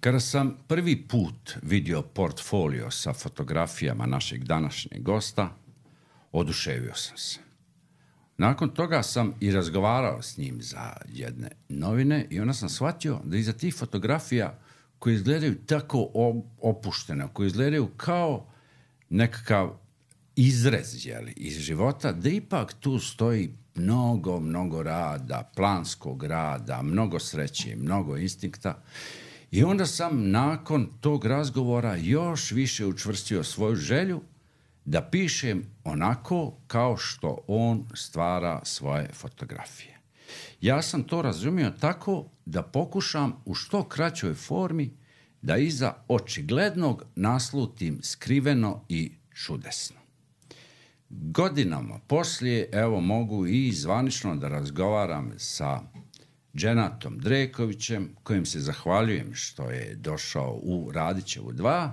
Kada sam prvi put vidio portfolio sa fotografijama našeg današnjeg gosta, oduševio sam se. Nakon toga sam i razgovarao s njim za jedne novine i onda sam shvatio da iza tih fotografija koje izgledaju tako opušteno, koje izgledaju kao nekakav izrez iz života, da ipak tu stoji mnogo rada, planskog rada, mnogo sreće, mnogo instinkta. I onda sam nakon tog razgovora još više učvrstio svoju želju da pišem onako kao što on stvara svoje fotografije. Ja sam to razumio tako da pokušam u što kraćoj formi da iza očiglednog naslutim skriveno i čudesno. Godinama poslije, evo, mogu i zvanično da razgovaram sa Dženatom Drekovićem, kojim se zahvaljujem što je došao u Radićevu 2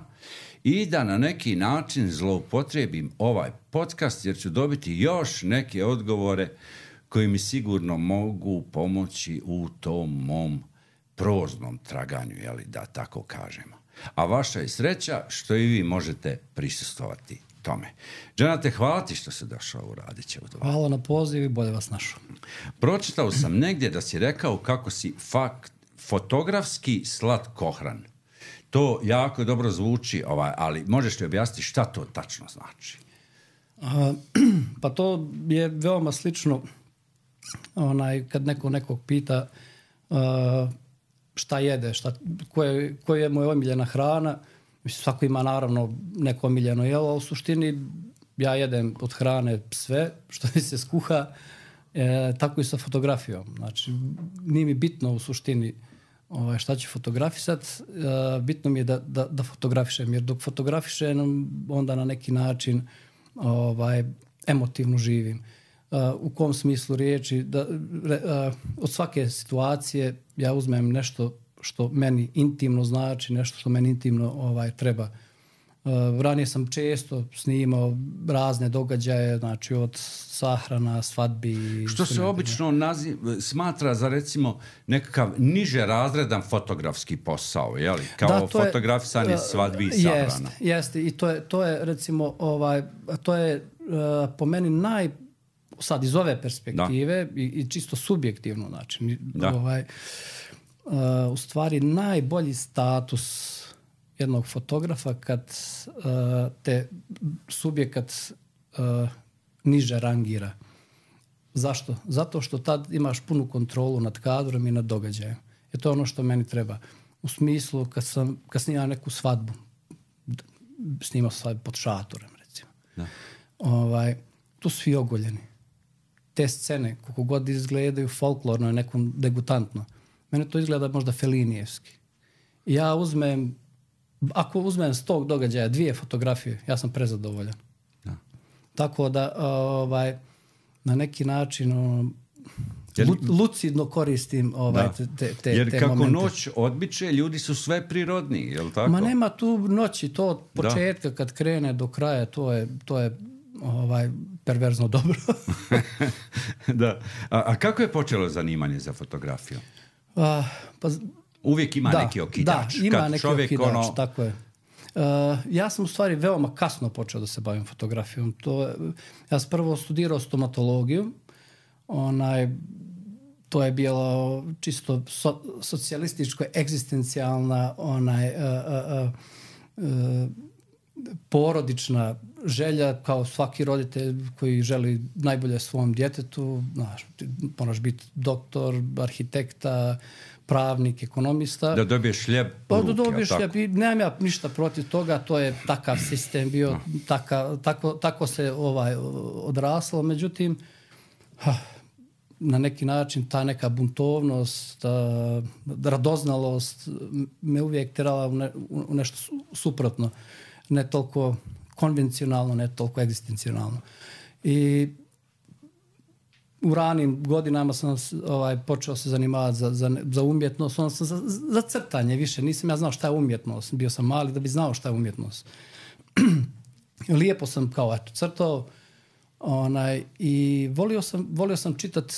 i da na neki način zloupotrijebim ovaj podcast, jer ću dobiti još neke odgovore koji mi sigurno mogu pomoći u tom mom proznom traganju, da tako kažemo. A vaša je sreća što i vi možete prisustvovati tome. Dženate, hvala ti što si došao u Radićevu 2. Hvala na poziv i bolje vas našao. Pročitao sam negdje da si rekao kako si fotografski slatkohran. To jako dobro zvuči, ali možeš li objasniti šta to tačno znači? Pa to je veoma slično kad nekog pita šta jede, koja je moja omiljena hrana. Svako ima naravno neko omiljeno jelo, a u suštini ja jedem od hrane sve što mi se skuha, tako i sa fotografijom. Znači, nije mi bitno u suštini šta ću fotografisati, bitno mi je da fotografišem, jer dok fotografišem onda na neki način emotivno živim. U kom smislu riječi, od svake situacije ja uzmem nešto što meni intimno znači, nešto što meni intimno treba. Ranije sam često snimao razne događaje, znači od sahrana, svadbi. Što se obično smatra za recimo nekakav niže razredan fotografski posao, jeli? Kao fotografisanje svadbi i sahrana. Jeste, i to je recimo, to je po meni sad iz ove perspektive i čisto subjektivno, znači, u stvari najbolji status jednog fotografa kad te subjekat niže rangira. Zašto? Zato što tad imaš punu kontrolu nad kadrom i nad događajem. I to je ono što meni treba. U smislu kad snimam neku svadbu, snimao svadbu pod šatorem, recimo. Tu svi ogoljeni. Te scene, koliko god izgledaju folklorno i nekom degutantno, mene to izgleda možda felinijevski. Ja ako uzmem s tog događaja 2 fotografije, ja sam prezadovoljan. Da. Tako da na neki način lucidno koristim te jer kako momente. Noć odbiče, ljudi su sve prirodniji, je li tako? Ma nema tu noći, to od početka kad krene do kraja, to je perverzno dobro. Da. A kako je počelo zanimanje za fotografiju? Uvijek ima neki okidač. Da, ima neki okidač, tako je. Ja sam u stvari veoma kasno počeo da se bavim fotografijom. Ja sam prvo studirao stomatologiju. To je bilo čisto socijalističko, egzistencijalna porodična želja, kao svaki roditelj koji želi najbolje svom djetetu. Moraš biti doktor, arhitekta, pravnik, ekonomista. Da dobiješ hljeb u ruke. Da dobiješ hljeb i nemam ja ništa protiv toga, to je takav sistem bio, tako se odraslo. Međutim, na neki način ta neka buntovnost, radoznalost me uvijek terala u nešto suprotno. Ne toliko konvencionalno, ne toliko egzistencionalno. I u ranim godinama sam počeo se zanimati za umjetnost, onda sam za crtanje više. Nisam ja znao šta je umjetnost. Bio sam mali da bi znao šta je umjetnost. Lijepo sam crtao i volio sam čitati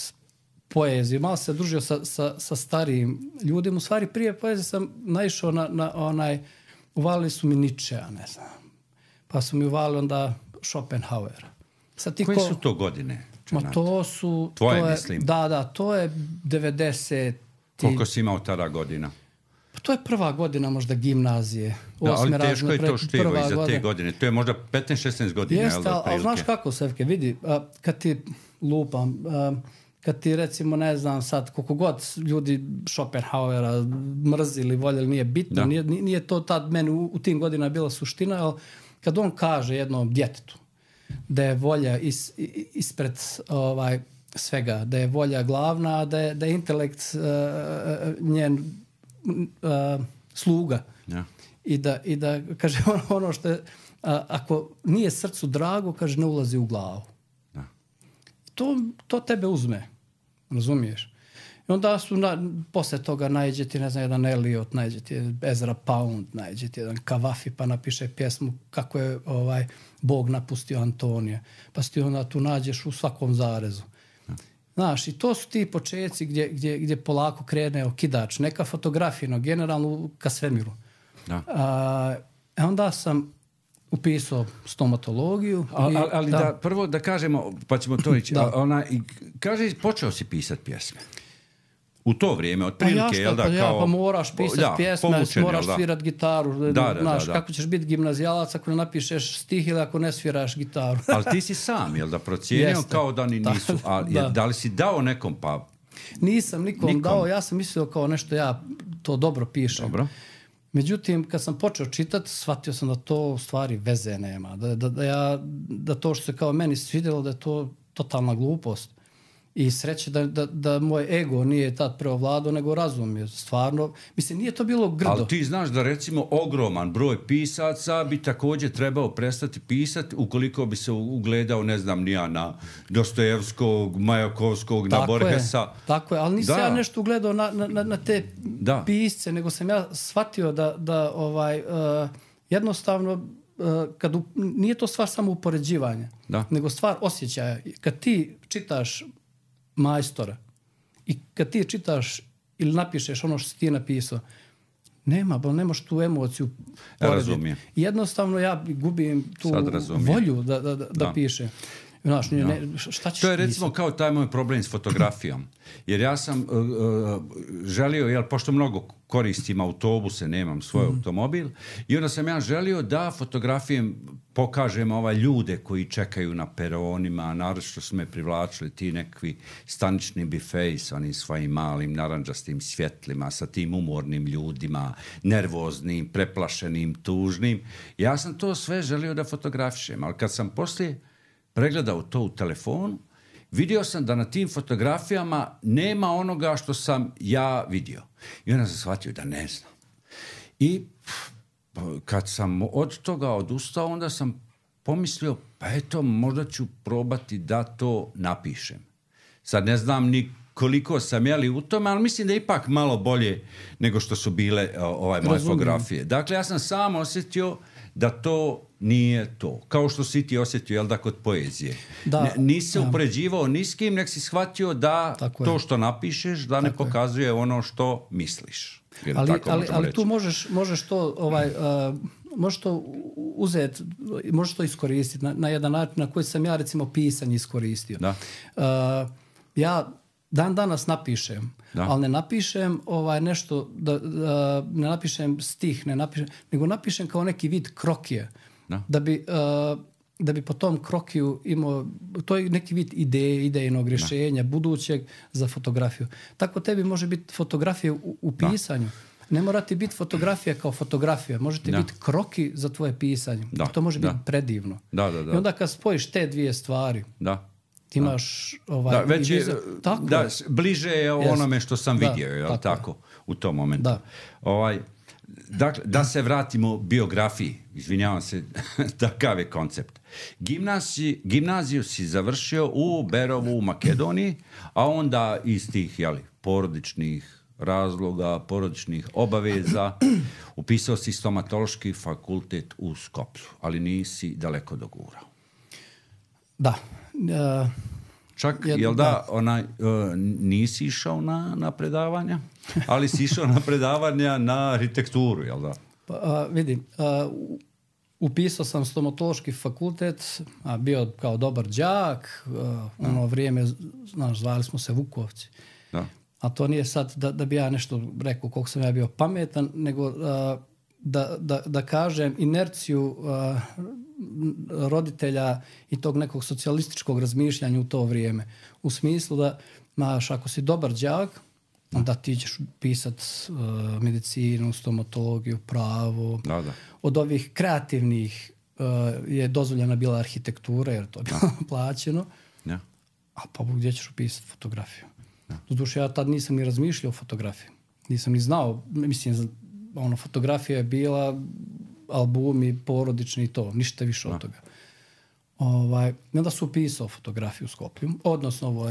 poeziju. Malo se družio sa starijim ljudima. U stvari prije poezije sam naišao na onaj, uvalili su mi Nietzschea, ne znam. Pa su mi uvalili onda Schopenhauera. Koje su to godine? Ma to su... Tvoje, mislim. Da, to je 90... Koliko si imao tada godina? Pa to je prva godina možda gimnazije. Da, ali teško je to štivo iza te godine. To je možda 15-16 godina. Jeste, ali znaš kako, Sevke, vidi, kad ti lupam, kad ti recimo, ne znam sad, koliko god ljudi Schopenhauera mrzili, voljeli, nije bitno, nije to tad meni u tim godinama bila suština, ali kad on kaže jednom djetetu da je volja ispred svega, da je volja glavna, da je intelekt njen sluga. Ja. I da kaže ono što je, ako nije srcu drago, kaže, ne ulazi u glavu. Ja. To tebe uzme, razumiješ? I onda su posle toga naiđe ti, ne znam, jedan Eliot, naiđe ti Ezra Pound, naiđe ti jedan Kavafi, pa napiše pjesmu kako je Bog napustio Antonija. Pa si ti onda tu nađeš u svakom zarezu. Znaš, i to su ti početci gdje polako krene okidač. Neka fotografija, no generalno ka svemiru. Onda sam upisao stomatologiju. Ali prvo da kažemo, pa ćemo to ići. Kaže, počeo si pisati pjesme. U to vrijeme, otprilike, pa moraš pisati pjesme, moraš svirat gitaru. Znaš, kako ćeš biti gimnazijalac ako ne napišeš stih ili ako ne sviraš gitaru. Ali ti si sam, jel da, procijenio kao da ni nisu. Da li si dao nekom, pa... Nisam nikom dao, ja sam mislio kao nešto, ja to dobro pišem. Dobro. Međutim, kad sam počeo čitati, shvatio sam da to u stvari veze nema. Da to što se kao meni svidjelo, da je to totalna glupost. I sreće da moj ego nije tad preovladao, nego razum je stvarno. Mislim, nije to bilo grdo. Ali ti znaš da recimo ogroman broj pisaca bi također trebao prestati pisati ukoliko bi se ugledao, ne znam, nija na Dostojevskog, Majakovskog, na Borgesa. Tako je, ali nisam ja nešto ugledao na te pisce, nego sam ja shvatio da jednostavno nije to stvar samo upoređivanja, nego stvar osjećaja. Kad ti čitaš majstora i kad ti čitaš ili napišeš ono što si ti napisao, nemaš tu emociju. Razumijem. Jednostavno ja gubim tu volju da pišem. Znaš, šta ćeš to je recimo kao taj moj problem s fotografijom. Jer ja sam želio, pošto mnogo koristim autobuse, nemam svoj automobil, i onda sam ja želio da fotografijem pokažem ljude koji čekaju na peronima, naročito su me privlačili ti nekakvi stanični bifeji sa onim svojim malim narandžastim svjetlima, sa tim umornim ljudima, nervoznim, preplašenim, tužnim. Ja sam to sve želio da fotografišem, ali kad sam poslije pregledao to u telefonu, vidio sam da na tim fotografijama nema onoga što sam ja vidio. I onda sam shvatio da ne znam. I kad sam od toga odustao, onda sam pomislio, pa eto, možda ću probati da to napišem. Sad ne znam ni koliko sam jeli u tome, ali mislim da je ipak malo bolje nego što su bile moje fotografije. Dakle, ja sam sam osjetio da to nije to. Kao što si ti osjetio, kod poezije. Nisi se upoređivao ni s kim, nek si shvatio da tako to što napišeš, da tako ne pokazuje ono što misliš. Ali tu možeš to možeš to uzeti, možeš to iskoristiti na jedan način na koji sam ja recimo pisanje iskoristio. Ja danas napišem, ali ne napišem nešto, ne napišem stih, nego napišem kao neki vid krokije. Da bi po tom krokiju imao, to je neki vid idejnog rješenja, budućeg za fotografiju. Tako tebi može biti fotografija u pisanju. Ne mora ti biti fotografija kao fotografija, može ti biti kroki za tvoje pisanje. To može biti predivno. I onda kad spojiš te dvije stvari, ti imaš već je, bliže je onome što sam vidio, tako, u tom momentu. Dakle, da se vratimo biografiji, izvinjavam se, takav je koncept. Gimnaziju si završio u Berovu u Makedoniji, a onda iz tih porodičnih razloga, porodičnih obaveza upisao si stomatološki fakultet u Skoplju, ali nisi daleko dogurao. Da. Čak, jel da, nisi išao na predavanja, ali si išao na predavanja na arhitekturu, jel da? Pa, vidim, upisao sam stomatološki fakultet, a bio kao dobar đak, ono vrijeme, znaš, zvali smo se Vukovci. Da. A to nije sad da bi ja nešto rekao koliko sam ja bio pametan, nego da kažem inerciju roditelja i tog nekog socijalističkog razmišljanja u to vrijeme. U smislu da, znaš, ako si dobar đak, onda ti ćeš pisati medicinu, stomatologiju, pravo. Da. Od ovih kreativnih je dozvoljena bila arhitektura, jer to je bilo plaćeno. Ja. A pa gdje ćeš upisati fotografiju? Doduše, ja tad nisam ni razmišljao o fotografiji. Nisam ni znao. Mislim, fotografija je bila albumi, porodični i to. Ništa više od toga. I onda su upisao fotografiju u Skoplju. Odnosno,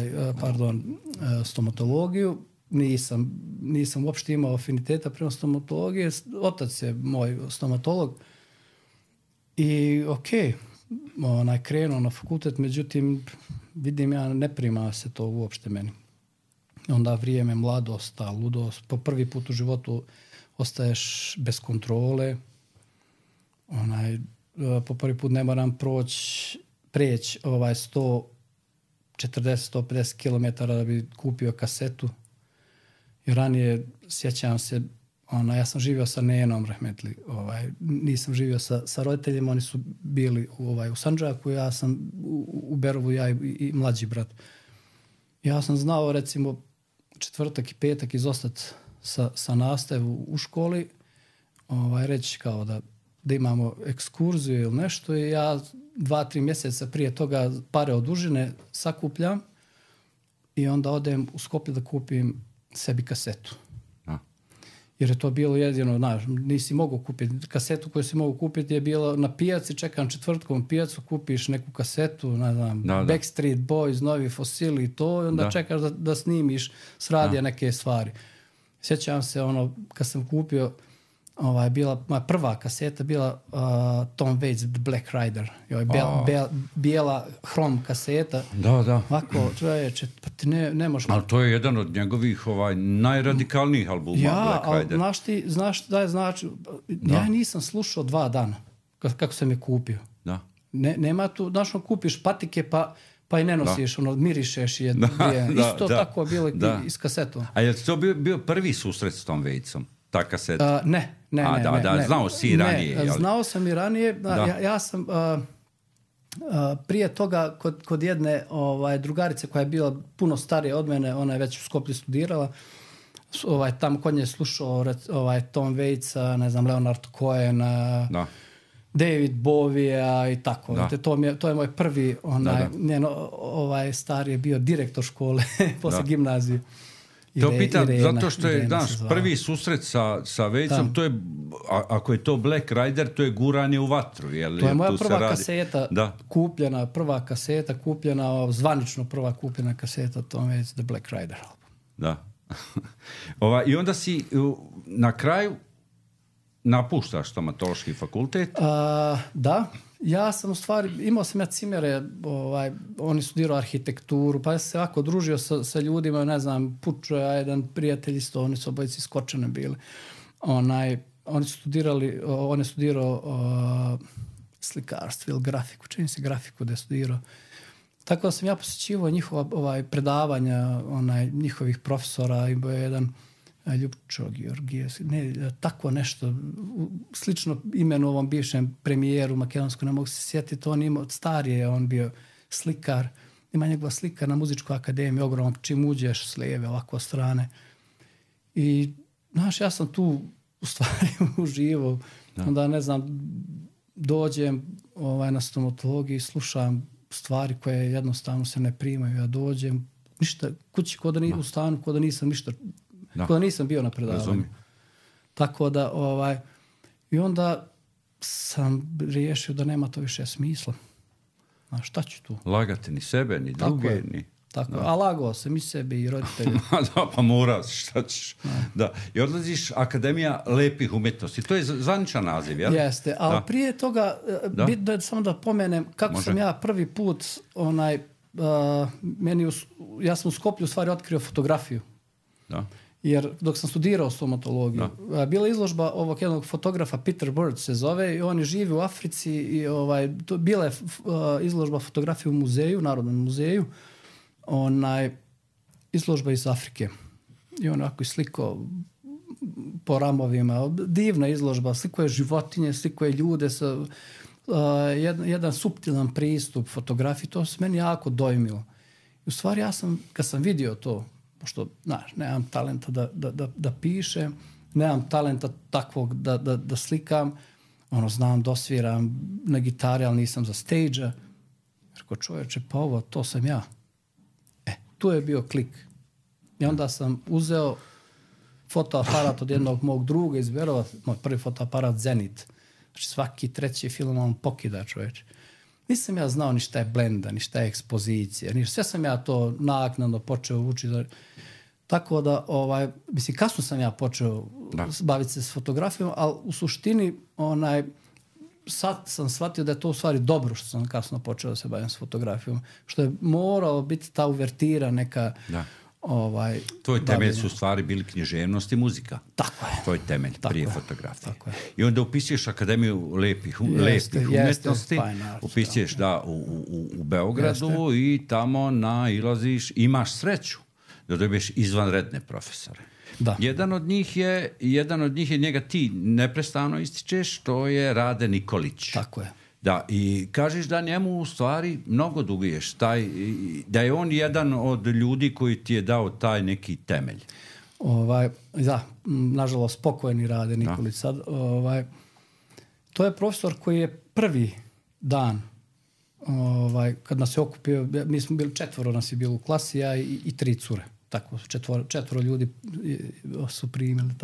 stomatologiju. Nisam uopšte imao afiniteta prema stomatologiji. Otac je moj stomatolog. I krenuo na fakultet, međutim, vidim ja, ne prima se to uopšte meni. Onda vrijeme, mladost, ludost. Po prvi put u životu ostaješ bez kontrole. Po prvi put ne moram preći 140-150 km da bi kupio kasetu. I ranije, sjećam se, ja sam živio sa nenom, rahmetli. Nisam živio sa roditeljima, oni su bili u Sandžaku, ja sam u Berovu, ja i mlađi brat. Ja sam znao, recimo, četvrtak i petak izostati sa nastavu u školi, reći kao da imamo ekskurziju ili nešto, i ja 2-3 mjeseca prije toga pare od užine sakupljam i onda odem u Skoplje da kupim sebi kasetu. Jer je to bilo jedino, znaš, nisi mogao kupiti. Kasetu koju si mogao kupiti je bilo na pijaci, čekam četvrtkom pijacu, kupiš neku kasetu, ne znam, Backstreet Boys, Novi Fosili i to, i onda čekaš da snimiš s radija neke stvari. Sjećam se, kad sam kupio, bila moja prva kaseta, bila Tom Waits Black Rider. Bijela hrom kaseta. Da. Ovako, čovječe, pa ti ne možeš... Ali to je jedan od njegovih najradikalnijih albuma, Black Rider. Znaš da je znači... Ja nisam slušao 2 dana kako sam je kupio. Da. Nema tu, znaš, kupiš patike pa i ne nosiš, mirišeš je. Isto tako bilo i s kasetom. A je to bio prvi susret s Tom Waitsom? Ta kaseta? Ne. Znao si i ranije. Znao sam i ranije. Ja sam prije toga kod jedne drugarice koja je bila puno starija od mene, ona je već u Skoplju studirala, tamo kod nje slušao Tom Waitsa, ne znam, Leonard Cohena, David Bowie i tako. To je moj prvi, stari je bio direktor škole posle gimnazije. To pitam, zato što je naš prvi susret sa Waitsom, to je, ako je to Black Rider, to je guranje u vatru. To je moja prva kaseta kupljena, zvanično prva kupljena kaseta Tom Waits, The Black Rider. Da. I onda si na kraju napuštaš stomatološki fakultet? Da. Ja sam u stvari, imao sam ja cimere, oni studirao arhitekturu, pa ja sam se ovako družio sa ljudima, ne znam, Pučo, jedan prijatelj isto, oni su obojici skočene bili. On je studirao slikarstvo ili grafiku, čini se grafiku da je studirao. Tako da sam ja posjećivao njihova predavanja, njihovih profesora, i bio je jedan Ljupčo Georgijev, tako nešto, slično imenu ovom bivšem premijeru makedonskom, ne mogu se sjetiti, on imao, starije, on bio slikar, ima njegova slika na muzičkoj akademiji, ogromno, čim uđeš s lijeve, ovako strane. I, znaš, ja sam tu u stvari uživao, onda, ne znam, dođem na stomatologiju i slušam stvari koje jednostavno se ne primaju, ja dođem, ništa, kući, u stanu, kod da nisam ništa, kod da nisam bio na predavanju. Tako da, i onda sam riješio da nema to više smisla. A šta ću tu? Lagati ni sebe, ni druge, ni... Tako, a lagao sam i sebi i roditelji. Pa mora, šta ćeš. Da. I odlaziš Akademija lepih umjetnosti. To je zvaničan naziv, jel? Jeste, ali prije toga, bitno je samo da pomenem kako sam ja prvi put ja sam u Skoplju u stvari otkrio fotografiju. Da. Jer dok sam studirao stomatologiju, bila je izložba ovog jednog fotografa, Peter Bird se zove, i on živi u Africi i bila je izložba fotografije u muzeju, Narodnom muzeju, izložba iz Afrike. I on onako slikao po ramovima, divna izložba, slikao je životinje, slikao je ljude sa jedan suptilan pristup fotografiji, to se meni jako dojmilo. I u stvari kad sam vidio to, pošto, znaš, nemam talenta da pišem, nemam talenta takvog da slikam, znam, dosviram na gitari, ali nisam za stage-a. Rekao, čovječe, pa ovo, to sam ja. Tu je bio klik. I onda sam uzeo fotoaparat od jednog mog druga iz Berova, moj prvi fotoaparat Zenit. Znači svaki treći film on pokida, čovječe. Nisam ja znao ni šta je blenda, ni šta je ekspozicija, sve sam ja to naknadno počeo učiti. Tako da, mislim, kasno sam ja počeo baviti se s fotografijom, ali u suštini, sad sam shvatio da je to u stvari dobro što sam kasno počeo da se bavim s fotografijom. Što je moralo biti ta uvertira neka... Da. Tvoj temelj su u stvari bili književnost i muzika. Tako je. Tvoj temelj prije fotografije. I onda upisuješ Akademiju lepih umjetnosti, upisuješ u Beogradu i tamo nailaziš, imaš sreću da dobiješ izvanredne profesore. Da. Jedan od njih je njega ti neprestano ističeš, to je Rade Nikolić. Tako je. Da, i kažeš da njemu u stvari mnogo duguješ, da je on jedan od ljudi koji ti je dao taj neki temelj. Da, nažalost pokojni Rade Nikolić sad. To je profesor koji je prvi dan kad nas je okupio, mi smo bili 4 nas je bilo u klasi, ja i 3 cure. Tako, 4 ljudi su primili.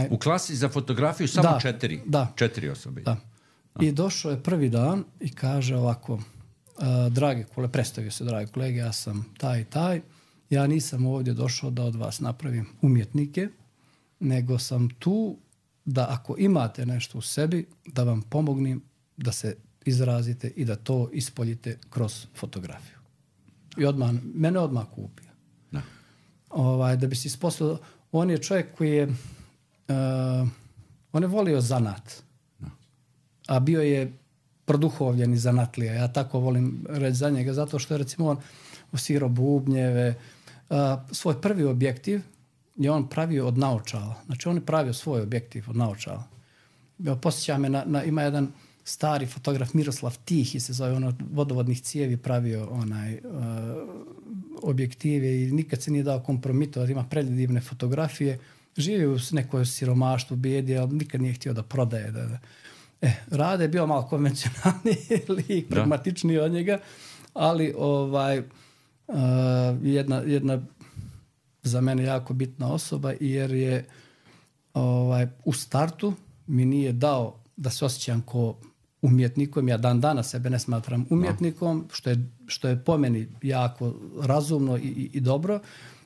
U klasi za fotografiju samo 4? Da. 4 osobe? Da. I došao je prvi dan i kaže ovako, drage kolege, predstavio se, dragi kolege, ja sam taj i taj, ja nisam ovdje došao da od vas napravim umjetnike, nego sam tu da ako imate nešto u sebi, da vam pomognem da se izrazite i da to ispoljite kroz fotografiju. I mene odmah kupio. Da bi se ispostavio, on je čovjek koji je, on je volio zanat. A bio je produhovljen i zanatlija. Ja tako volim reći za njega, zato što je recimo on osvirao bubnjeve. Svoj prvi objektiv je on pravio od naočala. Znači on je pravio svoj objektiv od naočala. Posjeća me, ima jedan stari fotograf Miroslav Tihi se zove, vodovodnih cijevi pravio objektive i nikad se nije dao kompromitovati. Ima predivne fotografije. Živio u nekoj siromaštvu, bijedi, ali nikad nije htio da prodaje. Rade je bio malo konvencionalni lik, pragmatičniji od njega, ali jedna za mene jako bitna osoba, jer je u startu mi nije dao da se osjećam ko umjetnikom. Ja dan danas sebe ne smatram umjetnikom, što je po meni jako razumno i dobro,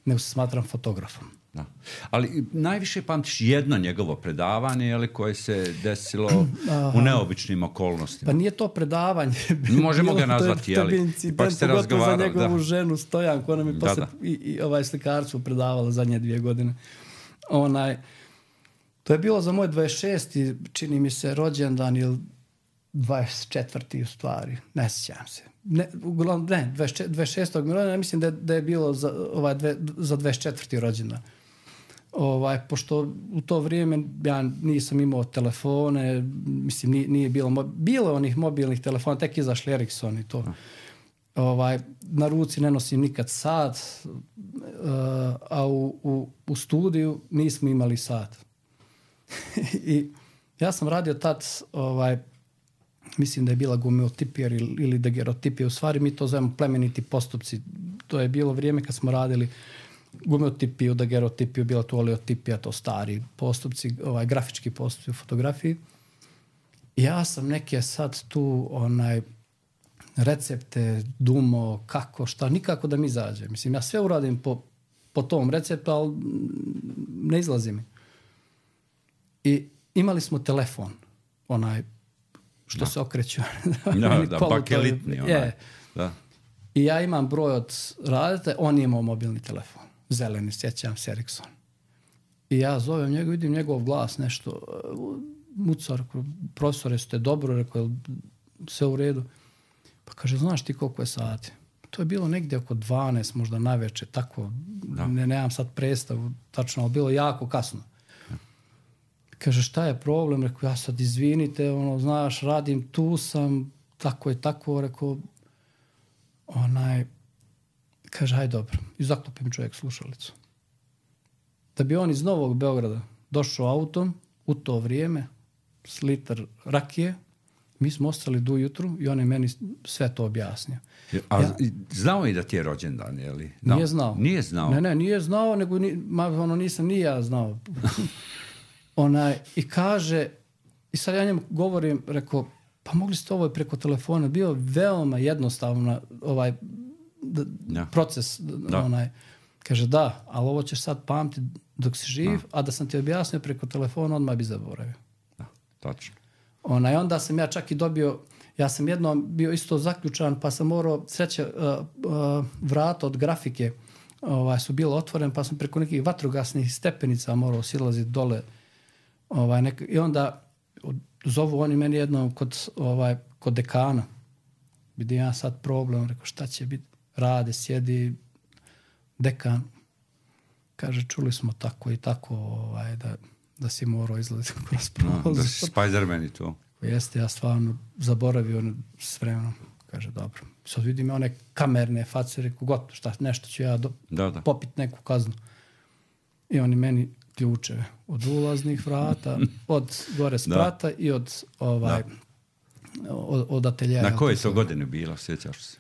nego se smatram fotografom. Da. Ali najviše pamtiš jedno njegovo predavanje koje se desilo u neobičnim okolnostima. Pa nije to predavanje. Možemo ga nazvati, jeli? Pa ste razgovarali. Za njegovu ženu Stojanku, ona mi posle i slikarstvo predavala zadnje 2 godine. To je bilo za moj 26. čini mi se rođendan ili 24. u stvari. Ne sjećam se. 26. rođendana, mislim da je bilo za 24. rođendan. Pošto u to vrijeme ja nisam imao telefone, mislim nije bilo onih mobilnih telefona, tek izašli Ericsson i to. Na ruci ne nosim nikad sat, a u studiju nismo imali sat. I ja sam radio tad, mislim da je bila gumeotipija ili dagerotipija, u stvari mi to zovemo plemeniti postupci. To je bilo vrijeme kad smo radili gumeotipiju, dagerotipiju, bila to oleotipija, to stari postupci, grafički postupci u fotografiji. Ja sam neke sad tu recepte dumo, kako, šta, nikako da mi izađe. Mislim, ja sve uradim po tom receptu, ali ne izlazi mi. I imali smo telefon, što se okreće. Bakelitni. I ja imam broj od radite, on je imao mobilni telefon. Zeleni, sjećam se, Ericsson. I ja zovem njega, vidim njegov glas, nešto, mucar, profesore, ste dobro, rekao, sve u redu. Pa kaže, znaš ti koliko je sati? To je bilo negdje oko 12, možda naveče, tako, nemam sad predstavu, tačno, ali bilo jako kasno. Kaže, šta je problem? Rekao, ja sad izvinite, znaš, radim, tu sam, tako je tako, rekao, kaže, haj dobro. I zaklopim čovjek slušalicu. Da bi on iz Novog Beograda došao autom u to vrijeme s litar rakije, mi smo ostali do ujutru i on je meni sve to objasnio. Znao i da ti je rođendan, je li? Nije znao. Nije znao? Ne, nije znao, nego nisam ni ja znao. I kaže, i sad ja njemu govorim, rekao, pa mogli ste ovo preko telefona, bio veoma jednostavno proces. Kaže, da, ali ovo ćeš sad pamtiti dok si živ, a da sam ti objasnio preko telefona, odmah bi zaboravio. Da, tačno. Onda sam ja čak i dobio, ja sam jednom bio isto zaključan, pa sam morao, sreće, vrata od grafike su bilo otvoren, pa sam preko nekih vatrogasnih stepenica morao silaziti dole. I onda zovu oni meni jednom kod dekana. Vidim ja sad problem, rekao šta će biti, rade, sjedi dekan. Kaže, čuli smo tako i tako da si morao izlaziti kroz prolaz. Da si Spider-Man i to. Jeste, ja stvarno zaboravio s vremenom. Kaže, dobro. Sad vidim one kamerne face, rekao, gotovo, šta, nešto ću ja popit neku kaznu. I oni meni ključeve od ulaznih vrata, od gore sprata i od ateljera. Na koje to godine bilo, sjećaš se?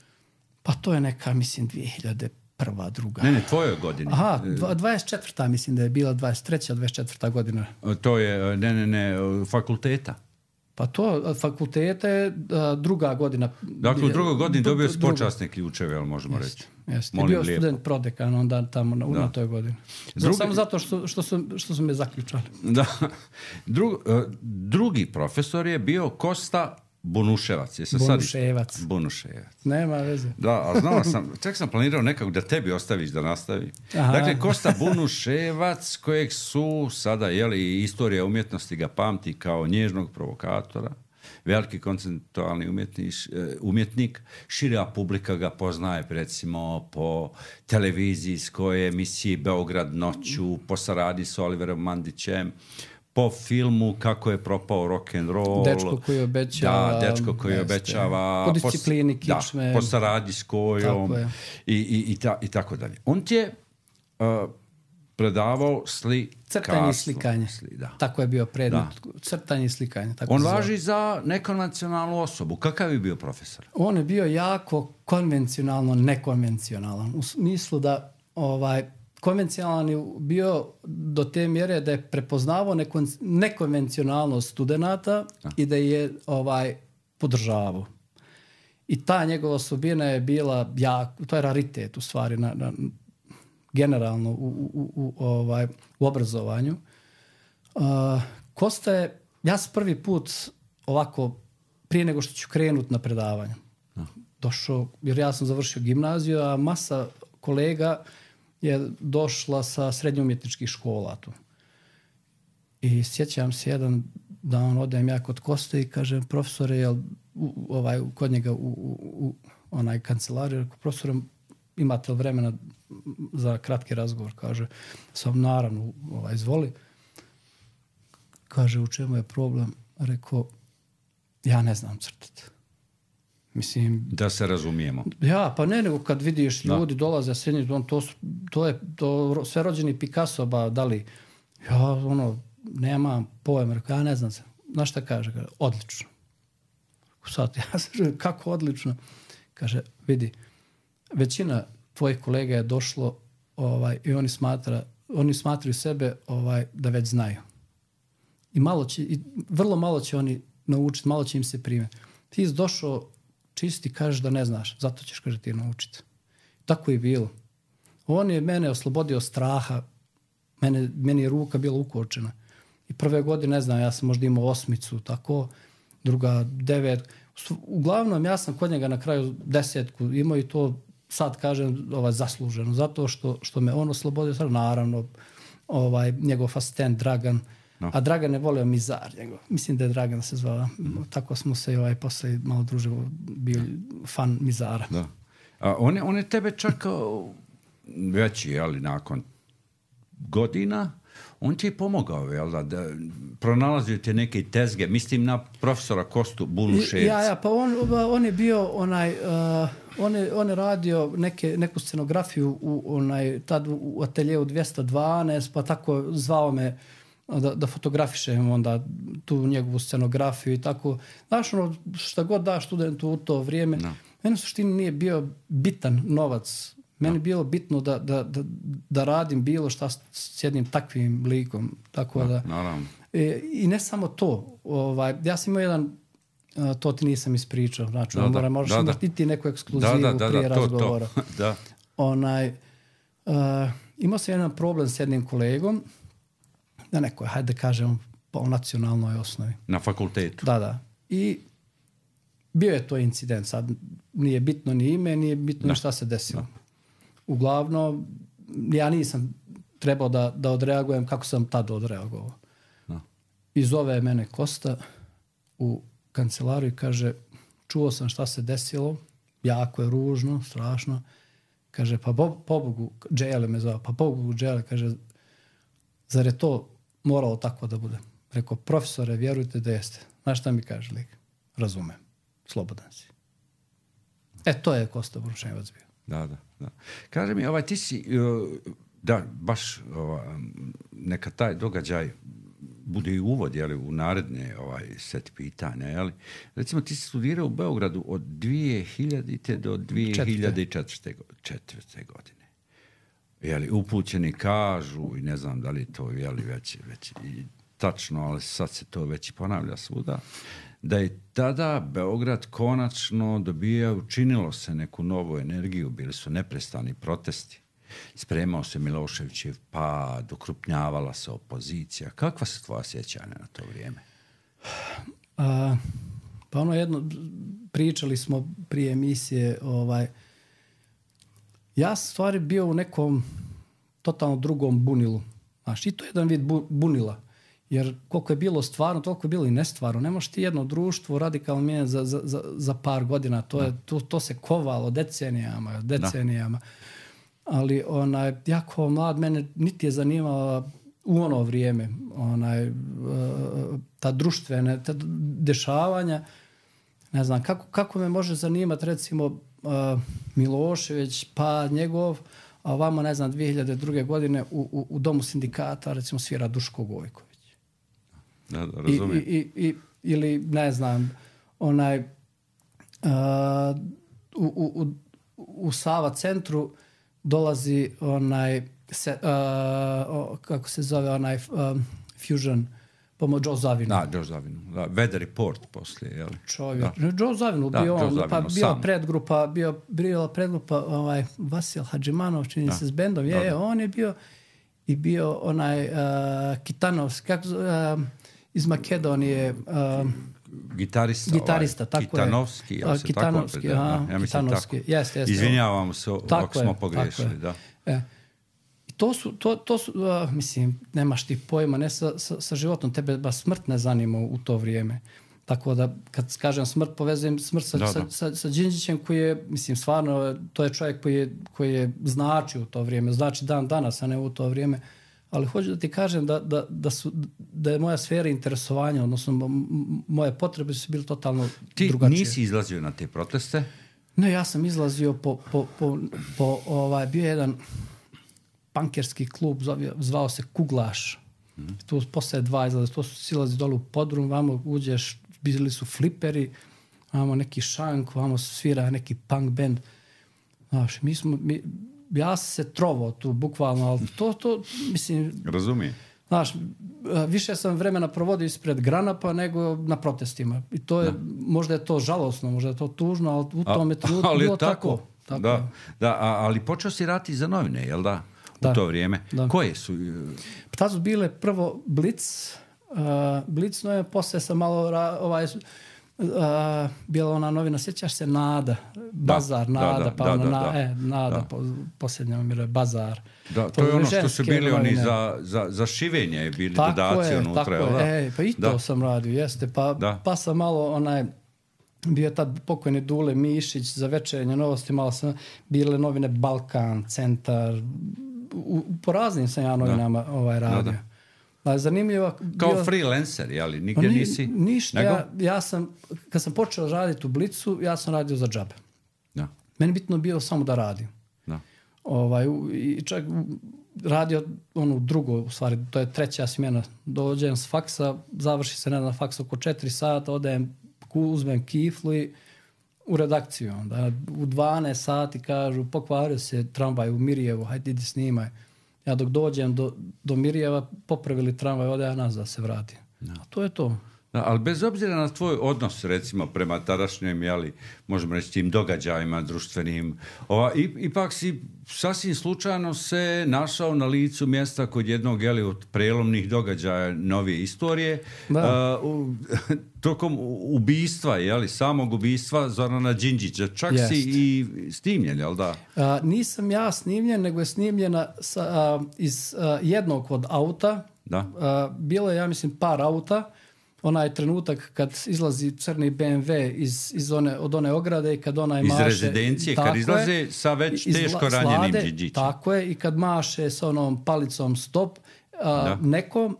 Pa to je neka, mislim, 2001. druga. Ne, tvojoj godini. Aha, 24. mislim da je bila 23. 24. godina. To je, fakulteta. Pa to, fakulteta je druga godina. Dakle, u drugoj godini dobio si počasne ključeve, ali možemo reći. Jeste. Bio student prodekan onda tamo na toj godini. Samo zato što su me zaključali. Da. Drugi profesor je bio Kosta Bunuševac. Bunuševac. Nema veze. Da, a znao sam, čak sam planirao nekako da tebi ostaviš da nastavi. Aha. Dakle, Kosta Bunuševac, kojeg su sada, istorija umjetnosti ga pamti kao nježnog provokatora, veliki konceptualni umjetnik, šira publika ga poznaje recimo po televizijskoj emisiji Beograd noću, po saradnji s Oliverom Mandićem, po filmu Kako je propao rock'n'roll. Dečko koji obećava. Da, Dečko koji obećava. Po disciplini kičme. Po saradnji s kojom. I tako dalje. On ti je predavao crtanje i slikanje. Tako je bio predmet. Crtanje i slikanje. On važi za nekonvencionalnu osobu. Kakav je bio profesor? On je bio jako konvencionalno nekonvencionalan. U smislu da konvencionalan je bio do te mjere da je prepoznavao nekonvencionalnost studenata i da je podržavao. I ta njegova osobina je bila to je raritet u stvari generalno u obrazovanju. Kosta je, ja sam prvi put ovako, prije nego što ću krenuti na predavanje, došao, jer ja sam završio gimnaziju, a masa kolega je došla sa srednje umjetničkih škola tu. I sjećam se jedan dan odem ja kod Koste i kažem, profesore, jel kod njega u onaj kancelariju, rekao, profesore, imate li vremena za kratki razgovor? Kaže, sam naravno, izvoli. Kaže, u čemu je problem? Rekao, ja ne znam crtati. Mislim, da se razumijemo. Ja, pa ne, nego kad vidiš ljudi dolaze srednji, to je sve rođeni Picasso, dali, ja nemam pojma, rekao, ja ne znam se. Znaš šta kaže? Odlično. Sad, ja se kako odlično? Kaže, vidi, većina tvojih kolega je došlo i oni smatraju sebe da već znaju. I vrlo malo će oni naučiti, malo će im se primiti. Ti si došao čisti, kažeš da ne znaš, zato ćeš, kaže, ti naučiti. Tako je bilo. On je mene oslobodio straha, meni je ruka bila ukočena. I prve godine, ne znam, ja sam možda imao 8, tako, druga 9. Uglavnom, ja sam kod njega na kraju 10 imao i to sad kažem zasluženo, zato što me on oslobodio, naravno njegov asistent Dragan, a Dragan je volio Mizar njegov. Mislim da je Dragan se zvao. Tako smo se posle malo družili, bio fan Mizara. Da. A on je tebe čak veći, ali nakon godina, on ti je pomogao, jel da pronalazio te neke tezge, mislim na profesora Kostu Buluševca. Pa on je bio on je radio neku scenografiju tad u ateljevu 212, pa tako zvao me da fotografišem onda tu njegovu scenografiju i tako. Znaš, šta god da studentu u to vrijeme, meni u suštini nije bio bitan novac. Meni je bilo bitno da radim bilo šta s jednim takvim likom. Tako naravno. I ne samo to. Ja sam imao jedan, to ti nisam ispričao. Znači, možeš imati neku ekskluzivu prije razgovora. Da. Imao sam jedan problem s jednim kolegom, na nekoj, hajde da kažem, po nacionalnoj osnovi. Na fakultetu. Da. I bio je to incident. Sad nije bitno ni ime, nije bitno ni šta se desilo. Da. Uglavnom, ja nisam trebao da odreagujem kako sam tad odreagovao. Da. I zove mene Kosta u kancelariju i kaže, čuo sam šta se desilo, jako je ružno, strašno. Kaže, pa pobogu, Džele me zove, pa pobogu Džele, kaže, zar je to moralo tako da bude? Rekao, profesore, vjerujte da jeste. Znaš šta mi kaže lik? Razumem. Slobodan si. To je Kosta Buluševac bio. Da. Kaže mi, ti si, baš neka taj događaj bude i uvod, u naredne set pitanja, Recimo, ti si studirao u Beogradu od 2000. do 2004. godine. Upućeni kažu, i ne znam da li to već tačno, ali sad se to već ponavlja svuda, da je tada Beograd konačno učinilo se neku novu energiju, bili su neprestani protesti, spremao se Miloševićev pad, okrupnjavala se opozicija. Kakva su tvoja sjećanja na to vrijeme? Pa pričali smo prije emisije, ja sam stvari bio u nekom totalno drugom bunilu. Znaš, i to je jedan vid bunila. Jer koliko je bilo stvarno, toliko je bilo i nestvarno. Ne možeš ti jedno društvo radikalno mijenjati za par godina. To se kovalo decenijama. Ali jako mlad, mene niti je zanimala u ono vrijeme ta društvene dešavanja. Ne znam, kako me može zanimati recimo Milošević, pa njegov, a ovamo, ne znam, 2002. godine u Domu sindikata recimo svira Duško Gojković. Da, razumijem. Ili, ne znam, u Sava centru dolazi kako se zove Fusion, Joe Zavinu. Da, Joe Zavinu. Weather Report poslije, jel? Čovjek. Joe Zavinu bio on, pa bio predgrupa Vasil Hadžimanov, čini se s bendom. On je bio i bio Kitanovski, iz Makedonije, gitarista, tako Kitanovski, je. Kitanovski, ja mislim tako. Jeste. Izvinjavamo se ako smo pogriješili, da. I to su, mislim, nemaš ti pojma, ne sa životom, tebe baš smrt ne zanima u to vrijeme. Tako da, kad kažem smrt, povezujem smrt sa Đinđićem koji je, mislim, stvarno, to je čovjek koji je znači u to vrijeme, znači dan danas, a ne u to vrijeme. Ali hoću da ti kažem da je moja sfera interesovanja, odnosno moje potrebe su bile totalno drugačije. Ti nisi izlazio na te proteste? Ne, ja sam izlazio bio je jedan pankerski klub, zvao se Kuglaš. Tu posle 2 izlaze, to su silazi dole u podrum, vamo uđeš, bili su fliperi, vamo neki šank, vamo svira neki punk band. Znaš, ja sam se trovao tu, bukvalno, ali to mislim... Razumijem. Znaš, više sam vremena provodio ispred Granapa nego na protestima. I to je, možda je to žalosno, možda je to tužno, ali u tome trenutku bilo tako. Da, ali počeo si raditi za novine, jel da? U to vrijeme. Da. Koje su? Tad su bile prvo Blitz, no je poslije sam malo bila ona novina, sjećaš se Nada, Bazar, Nada, pa ona Nada, posljednja umire, Bazar. Da, to je ono što su bili oni za šivenje, je bili dodaci unutra. Tako je, pa i to sam radio, jeste. Pa sam malo bio tad pokojni Dule Mišić za Večernje novosti, malo sam bile novine Balkan, Centar, po raznim sam ja novinama radio. Zanimljivo. Kao freelancer, jeli? Nigdje nisi? Ništa. Ja sam, kad sam počeo raditi u Blicu, ja sam radio za džabe. Da. Meni bitno bilo samo da radim. Da. I čak radio drugo, u stvari, to je treća smjena. Dođem s faksa, završi se na faksu oko 4 sata, odem, uzmem kiflu i u redakciju. Onda u 12 sati kažu, pokvario se tramvaj u Mirjevu, hajde idi snimaj. Ja dok dođem do Mirjeva, popravili tramvaj, ode ja nazad se vratim. A to je to. Da, ali bez obzira na tvoj odnos, recimo, prema tadašnjem, možemo reći, tim događajima društvenim, ipak si sasvim slučajno se našao na licu mjesta kod jednog, od prelomnih događaja novije istorije, tokom ubistva, samog ubistva Zorana Đinđića. Čak si i snimljen, jel da? Nisam ja snimljen, nego je snimljena iz jednog od auta. Da. Bilo je, ja mislim, par auta. Onaj trenutak kad izlazi crni BMW od one ograde i kad onaj maše... Iz rezidencije, kad izlaze sa već teško ranjenim Đinđićem. Tako je, i kad maše s onom palicom stop nekom,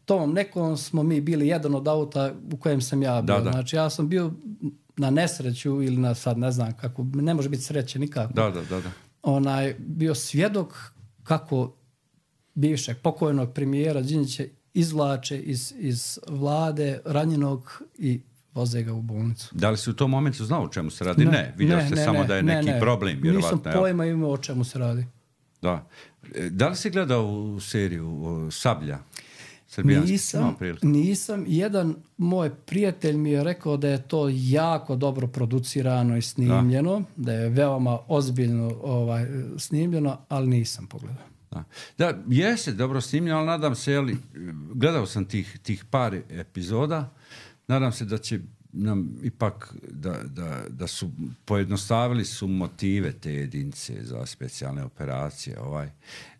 tom nekom smo mi bili jedan od auta u kojem sam ja bio. Znači ja sam bio na nesreću ili na sad ne znam kako, ne može biti sreće nikako. Bio svjedok kako bivšeg pokojnog premijera Đinđića izvlače iz vlade ranjenog i voze ga u bolnicu. Da li si u tom momentu znao o čemu se radi? Ne. Vidio ste samo da je neki problem. Nisam pojma imao o čemu se radi. Da. Da li si gledao u seriju Sablja? Nisam. Jedan moj prijatelj mi je rekao da je to jako dobro producirano i snimljeno, da je veoma ozbiljno snimljeno, ali nisam pogledao. Da, jeste dobro snimljeno, ali nadam se, gledao sam tih par epizoda, nadam se da će nam ipak da su pojednostavili su motive te jedinice za specijalne operacije.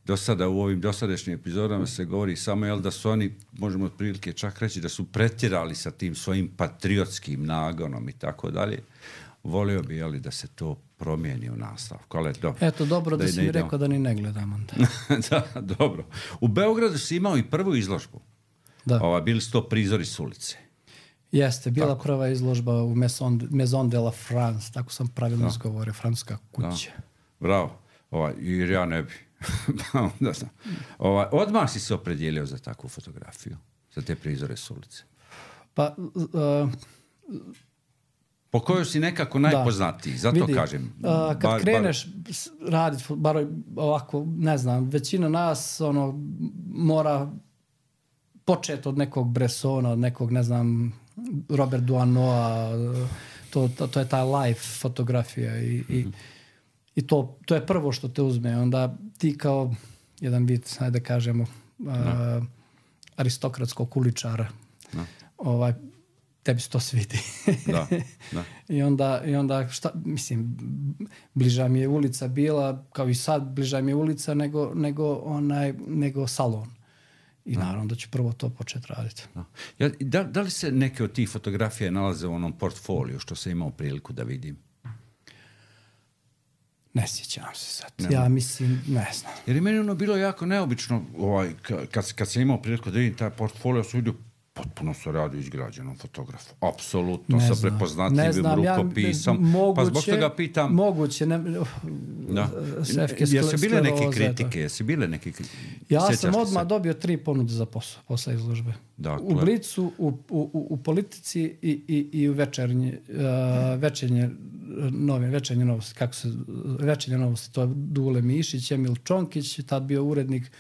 Do sada u ovim dosadašnjim epizodama se govori samo da su oni, možemo otprilike čak reći, da su pretjerali sa tim svojim patriotskim nagonom i tako dalje. Volio bi da se to promijeni u nastavku. Eto, dobro da si mi rekao da ni ne gledam onda. Da, dobro. U Beogradu si imao i prvu izložbu. Da. Bili su to prizori s ulice. Jeste, bila prva izložba u Maison de la France, tako sam pravilno izgovorio, francuska kuća. Bravo. Jer ja ne bi. Odmah si se opredijelio za takvu fotografiju, za te prizore s ulice. Pa... po kojoj si nekako najpoznatiji, zato kažem. Kad kreneš raditi, bar ovako, ne znam, većina nas mora početi od nekog Bressona, od nekog, ne znam, Robert Duanoa, to je ta live fotografija i to je prvo što te uzme. Onda ti kao jedan vid, ajde da kažemo, aristokratskog uličara, tebi se to svidi. Da. I onda šta, mislim, bliža mi je ulica bila, kao i sad, bliža mi je ulica nego salon. I naravno da ću prvo to početi raditi. Da li se neke od tih fotografija nalaze u onom portfoliju što sam imao priliku da vidim? Ne sjećam se sad. Ja mislim, ne znam. Jer je meni bilo jako neobično, kad sam imao priliku da vidim taj portfolio, sam vidio potpuno se radi izgrađenom fotografu. Apsolutno, sa prepoznatljivim rukopisom. Pa zbog toga pitam... Moguće. Jesu bile neke kritike? Ja sam odmah dobio 3 ponude za posao izložbe. Dakle. U Blicu, u Politici i u Večernje novosti. Večernje novosti, to je Dule Mišić, Emil Čonkić, tad bio urednik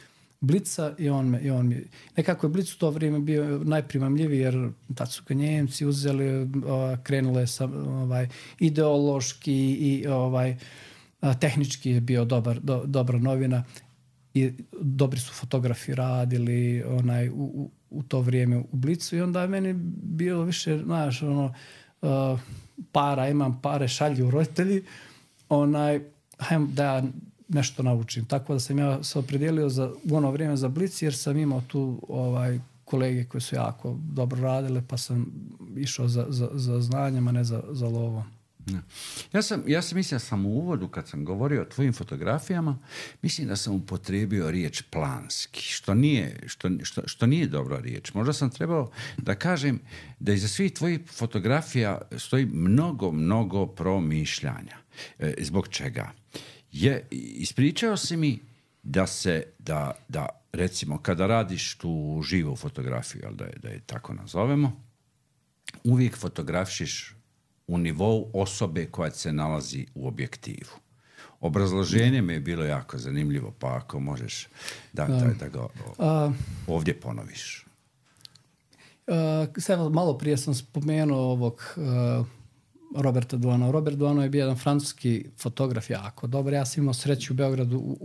Blica i on mi... Nekako je Blic u to vrijeme bio najprimamljiviji jer tad su ga Njemci uzeli, krenule sa ideološki i tehnički je bio dobra novina i dobri su fotografi radili u to vrijeme u Blicu i onda je meni bilo više, znaš, para, imam pare, šalju roditelji, hajmo da ja nešto naučim. Tako da sam ja se opredijelio u ono vrijeme za Blic, jer sam imao tu kolege koji su jako dobro radile, pa sam išao za znanjem, a ne za lovom. Ja sam mislio sam u uvodu kad sam govorio o tvojim fotografijama, mislim da sam upotrijebio riječ planski, što nije dobra riječ. Možda sam trebao da kažem da iza svih tvojih fotografija stoji mnogo promišljanja. Zbog čega? Ispričao si mi da recimo kada radiš tu živu fotografiju, da je tako nazovemo, uvijek fotografiš u nivou osobe koja se nalazi u objektivu. Obrazloženje mi je bilo jako zanimljivo, pa ako možeš da ga ovdje ponoviš. Malo prije sam spomenuo ovog Roberta Duano. Robert Duano je bio jedan francuski fotograf jako dobar. Ja sam imao sreću u Beogradu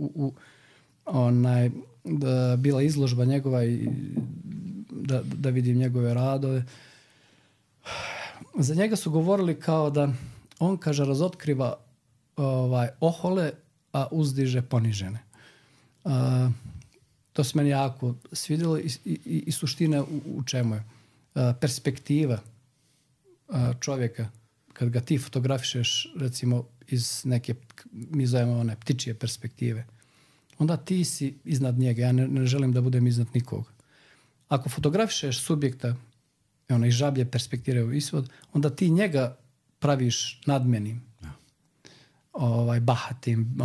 bila izložba njegova i da vidim njegove radove. Za njega su govorili kao da on, kaže, razotkriva ohole, a uzdiže ponižene. To se meni jako svidjelo i suština u čemu je. Perspektiva čovjeka, kad ga ti fotografišeš, recimo, iz neke, mi zovemo one ptičije perspektive, onda ti si iznad njega. Ja ne želim da budem iznad nikog. Ako fotografišeš subjekta iz žablje perspektive u isvod, onda ti njega praviš nadmenim, bahatim.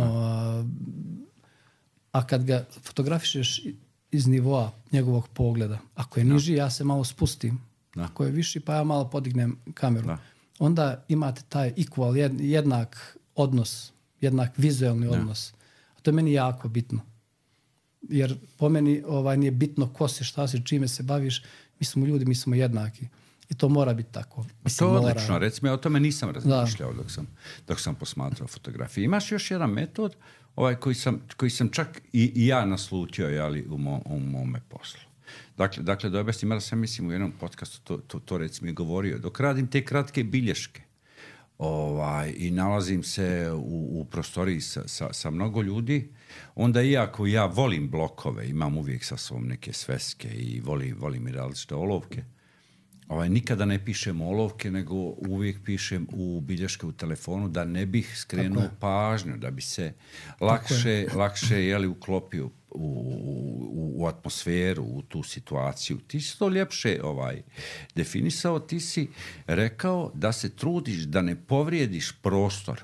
A kad ga fotografišeš iz nivoa njegovog pogleda, ako je niži, ja se malo spustim. Ako je viši, pa ja malo podignem kameru. Onda imate taj equal, jednak odnos, jednak vizualni odnos. A to je meni jako bitno. Jer po meni nije bitno ko si, šta si, čime se baviš. Mi smo ljudi, mi smo jednaki. I to mora biti tako. To je odlično. Recimo, ja o tome nisam razmišljao dok sam posmatrao fotografije. Imaš još jedan metod koji sam čak i ja naslutio u mome poslu. Dakle, da objasnim, da sam mislim u jednom podcastu to recimo i govorio. Dok radim te kratke bilješke i nalazim se u prostoriji sa mnogo ljudi, onda iako ja volim blokove, imam uvijek sa sobom neke sveske i volim i različite olovke, nikada ne pišem olovke, nego uvijek pišem u bilješke u telefonu da ne bih skrenuo pažnju, da bi se lakše uklopio u atmosferu, u tu situaciju. Ti si to ljepše definisao, ti si rekao da se trudiš da ne povrijediš prostor.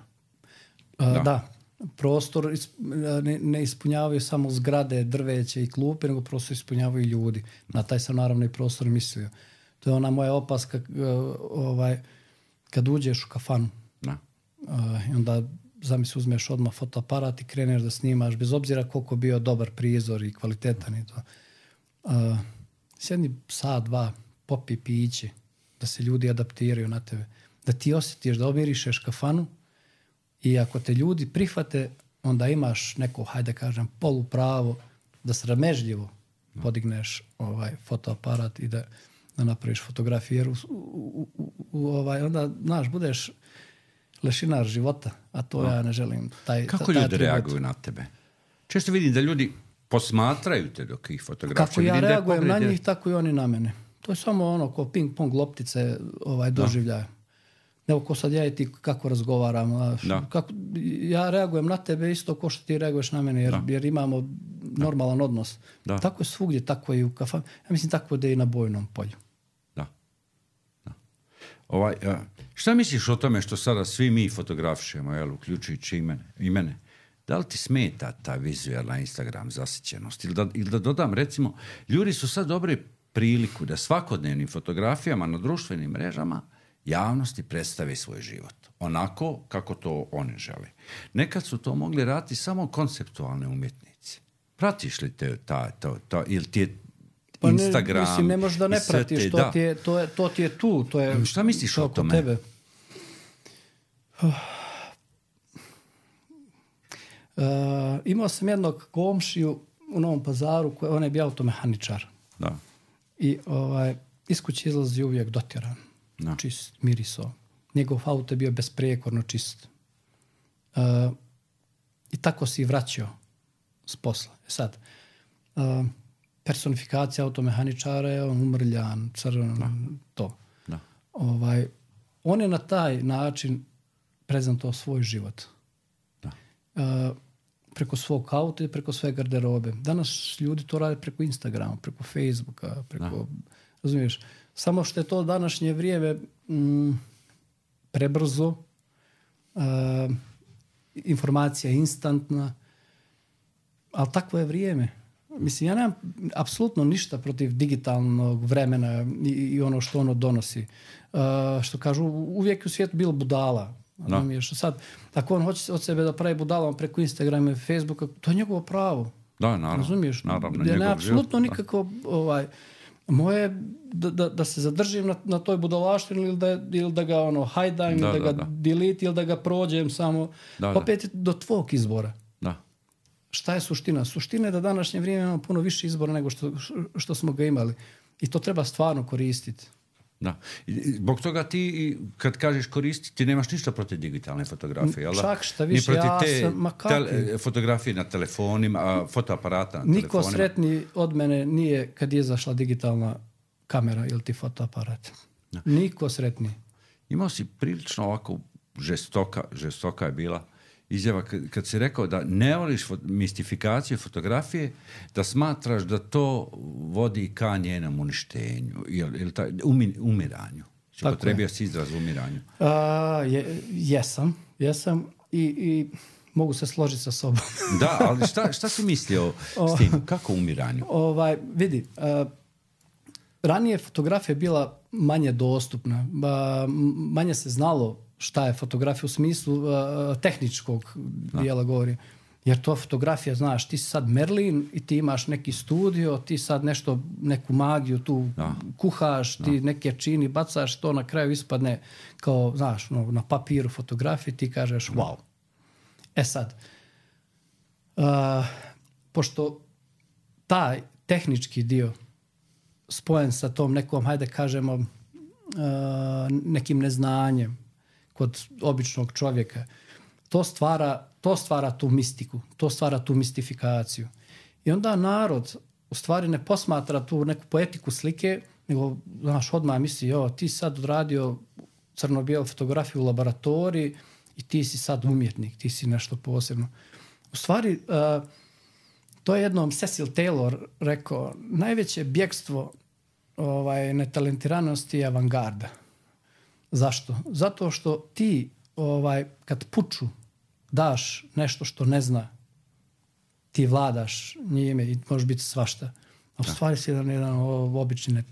Da. Prostor ne ispunjavaju samo zgrade, drveće i klupe, nego prostor ispunjavaju ljudi. Na taj sam naravno i prostor mislio. To je ona moja opaska kad uđeš u kafanu. I onda zamisli uzmeš odmah fotoaparat i kreneš da snimaš, bez obzira koliko bio dobar prizor i kvalitetan i to. Sjedni sat, dva, popi piće, da se ljudi adaptiraju na tebe. Da ti osjetiš da omirišeš kafanu i ako te ljudi prihvate, onda imaš neko, hajde kažem, polupravo da sramežljivo podigneš fotoaparat i da napraviš fotografiju. Jer onda, znaš, budeš lešinar života, a to ja ne želim. Kako ljudi reaguju na tebe? Često vidim da ljudi posmatraju te dok ih fotografuju. Kako ja reagujem na njih, tako i oni na mene. To je samo ko ping-pong loptice doživljaja. Evo ko sad ja i ti kako razgovaram. Ja reagujem na tebe isto ko što ti reaguješ na mene, jer imamo normalan odnos. Tako je svugdje, tako je i u kafanu. Ja mislim tako da je i na bojnom polju. Šta misliš o tome što sada svi mi fotografišemo, uključujući i mene? Da li ti smeta ta vizualna Instagram zasićenost? Ili da dodam, recimo, ljudi su sad dobili priliku da svakodnevnim fotografijama na društvenim mrežama javnosti predstave svoj život. Onako kako to oni žele. Nekad su to mogli raditi samo konceptualne umjetnici. Pratiš li te ili ti je Instagram? Mislim, ne možeš da ne pratiš. To ti je tu. To je, šta misliš o tome? Tebe. Imao sam jednog komšiju u Novom Pazaru, on je bio automehaničar. I iz kuće izlazi uvijek dotjeran. čist, mirisao. Njegov auto je bio besprijekorno čist. I tako si vraćao s posla. Sad, personifikacija automehaničara je umrljan, crn, to. Da. On je na taj način prezentovao svoj život. Da. Preko svog auta i preko sve garderobe. Danas ljudi to rade preko Instagrama, preko Facebooka, preko... Razumiješ? Samo što je to današnje vrijeme prebrzo, informacija je instantna, ali takvo je vrijeme. Mislim, ja nemam apsolutno ništa protiv digitalnog vremena i ono što ono donosi. Što kažu, uvijek u svijetu bilo budala. Sad, ako on hoće od sebe da pravi budalom preko Instagrama i Facebooka, to je njegovo pravo. Da, naravno. Razumiješ? Naravno, ja nemam apsolutno nikako... moje da se zadržim na toj budalaštini ili da ga hajdam, ili da ga delete, ili da ga prođem samo. Opet je do tvog izbora. Da. Šta je suština? Suština je da današnje vrijeme imamo puno više izbora nego što smo ga imali. I to treba stvarno koristiti. Da. Zbog toga ti, kad kažeš koristiti, ti nemaš ništa protiv digitalne fotografije, jel? Čak šta više, ja sam... fotografije na telefonima, fotoaparata na telefonima. Niko sretniji od mene nije kad je izašla digitalna kamera ili ti fotoaparat. Da. Niko sretniji. Imao si prilično ovako žestoka je bila izjava kad si rekao da ne voliš mistifikaciju fotografije, da smatraš da to vodi ka njenom uništenju ili umiranju. Potrebio si izraz umiranju. Jesam i mogu se složiti sa sobom. Da, ali šta si mislio s tim? Kako umiranju? Vidi, ranije fotografija bila manje dostupna, manje se znalo šta je fotografija u smislu tehničkog dijela govorim. Jer to fotografija, znaš, ti si sad Merlin i ti imaš neki studio, ti sad neku magiju tu kuhaš, ti neke čini, bacaš, to na kraju ispadne kao, znaš, na papiru fotografije, ti kažeš wow. Sad, pošto taj tehnički dio spojen sa tom nekom, hajde kažemo, nekim neznanjem kod običnog čovjeka, to stvara tu mistiku, to stvara tu mistifikaciju. I onda narod u stvari ne posmatra tu neku poetiku slike, nego, znaš, odmah misli, ti sad odradio crno-bijelu fotografiju u laboratoriji i ti si sad umjetnik, ti si nešto posebno. U stvari, to je jednom Cecil Taylor rekao, najveće bjegstvo netalentiranosti je avangarda. Zašto? Zato što ti kad puču daš nešto što ne zna, ti vladaš njime i može biti svašta. A u stvari si jedan obični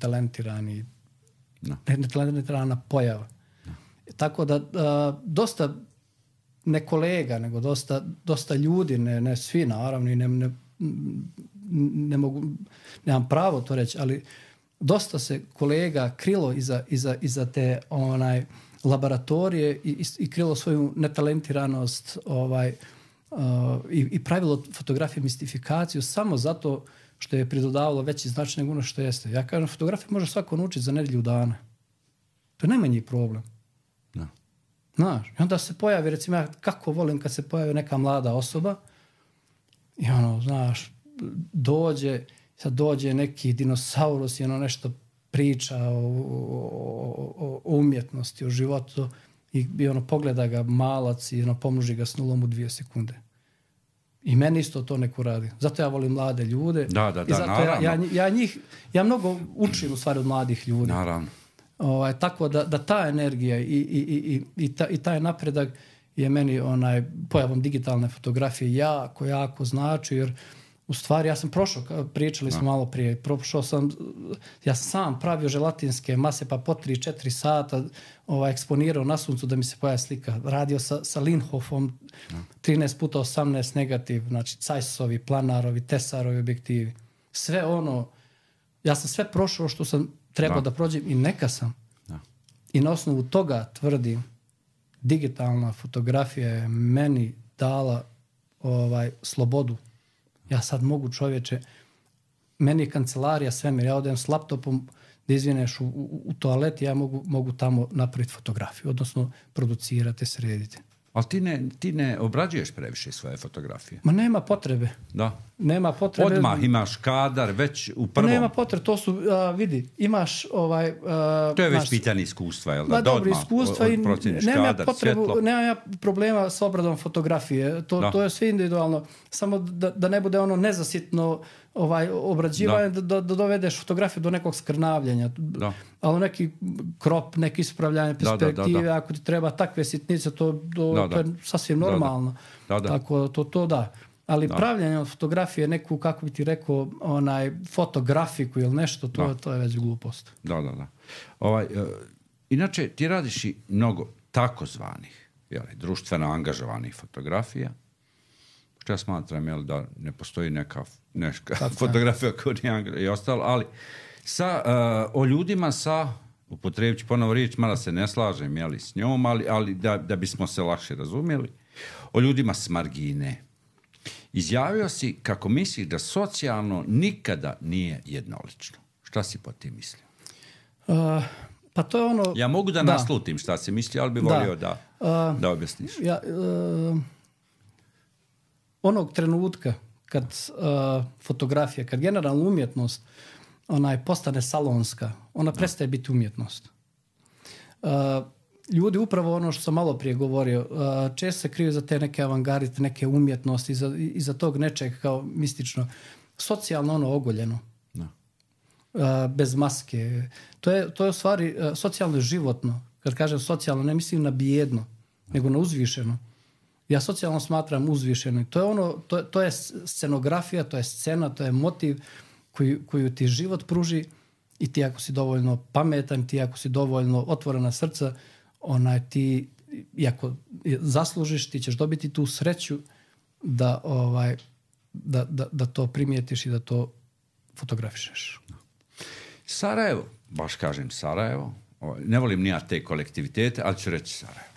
netalentirana pojava. Tako da dosta ne kolega, nego dosta ljudi, ne svi naravno i ne mogu, nemam pravo to reći, ali dosta se kolega krilo iza te laboratorije i krilo svoju netalentiranost i pravilo fotografije mistifikaciju samo zato što je pridodavalo veći značaj nego ono što jeste. Ja kažem, fotografiju može svako naučiti za nedjelju dana. To je najmanji problem. Znaš, i onda se pojavi, recimo, ja kako volim kad se pojavi neka mlada osoba i znaš, dođe neki dinosaurus i nešto priča o umjetnosti, o životu i pogleda ga malac i pomnoži ga s nulom u 2 sekunde. I meni isto to neko radi. Zato ja volim mlade ljude. Da, i zato naravno. Ja mnogo učim u stvari od mladih ljudi. Naravno. Tako da ta energija i taj napredak je meni pojavom digitalne fotografije jako znači, jer u stvari ja sam prošao, pričali smo malo prije, ja sam sam pravio želatinske mase pa po 3-4 sata eksponirao na suncu da mi se pojavi slika. Radio sa Linhofom 13x18 negativ, znači Zeissovi, planarovi, Tesarovi objektivi. Sve ja sam sve prošao što sam trebao da prođem i neka sam. I na osnovu toga tvrdim, digitalna fotografija je meni dala slobodu. Ja sad mogu, čovječe, meni je kancelarija svemir, ja odem s laptopom da izvineš u toalet, ja mogu tamo napraviti fotografiju, odnosno producirati, srediti. Ali ti ne obrađuješ previše svoje fotografije. Ma nema potrebe. Da. Nema potrebe. Odmah imaš kadar već u prvom. Nema potrebe, to su, vidi, imaš to je već pitanje iskustva, jel da? Ma dobro, iskustva i nema problema s obradom fotografije. To je sve individualno. Samo da ne bude ono nezasitno obrađivanje, da dovedeš fotografiju do nekog skrnavljenja. Ali neki krop, neki ispravljanje perspektive, ako ti treba takve sitnice, to je sasvim normalno. Tako to da. Ali pravljanje od fotografije, neku, kako bi ti rekao, fotografiku ili nešto, to je već glupost. Da. Inače, ti radiš i mnogo takozvanih, društveno angažovanih fotografija, što ja smatram da ne postoji neka fotografija koja nije angažovana i ostalo, ali o ljudima upotrijebit ću ponovo riječ, mada se ne slažem s njom, ali da bismo se lakše razumjeli, o ljudima s margine. Izjavio si kako misliš da socijalno nikada nije jednolično. Šta si po tim mislio? Pa to je ono... Ja mogu da naslutim šta si mislio, ali bi volio da objasniš. Onog trenutka kad fotografija, kad generalna umjetnost postane salonska, ona prestaje biti umjetnost. Ljudi, upravo ono što sam malo prije govorio, često se kriju za te neke avangarde, neke umjetnosti, iza tog nečeg kao mistično. Socijalno ogoljeno. Bez maske. To je u stvari socijalno životno. Kad kažem socijalno, ne mislim na bijedno, nego na uzvišeno. Ja socijalno smatram uzvišeno. To je scenografija, to je scena, to je motiv koju ti život pruži i ti ako si dovoljno pametan, ti ako si dovoljno otvorena srca, ti, iako zaslužiš, ti ćeš dobiti tu sreću da to primijetiš i da to fotografišeš. Sarajevo, baš kažem Sarajevo, ne volim ni ja te kolektivitete, ali ću reći Sarajevo.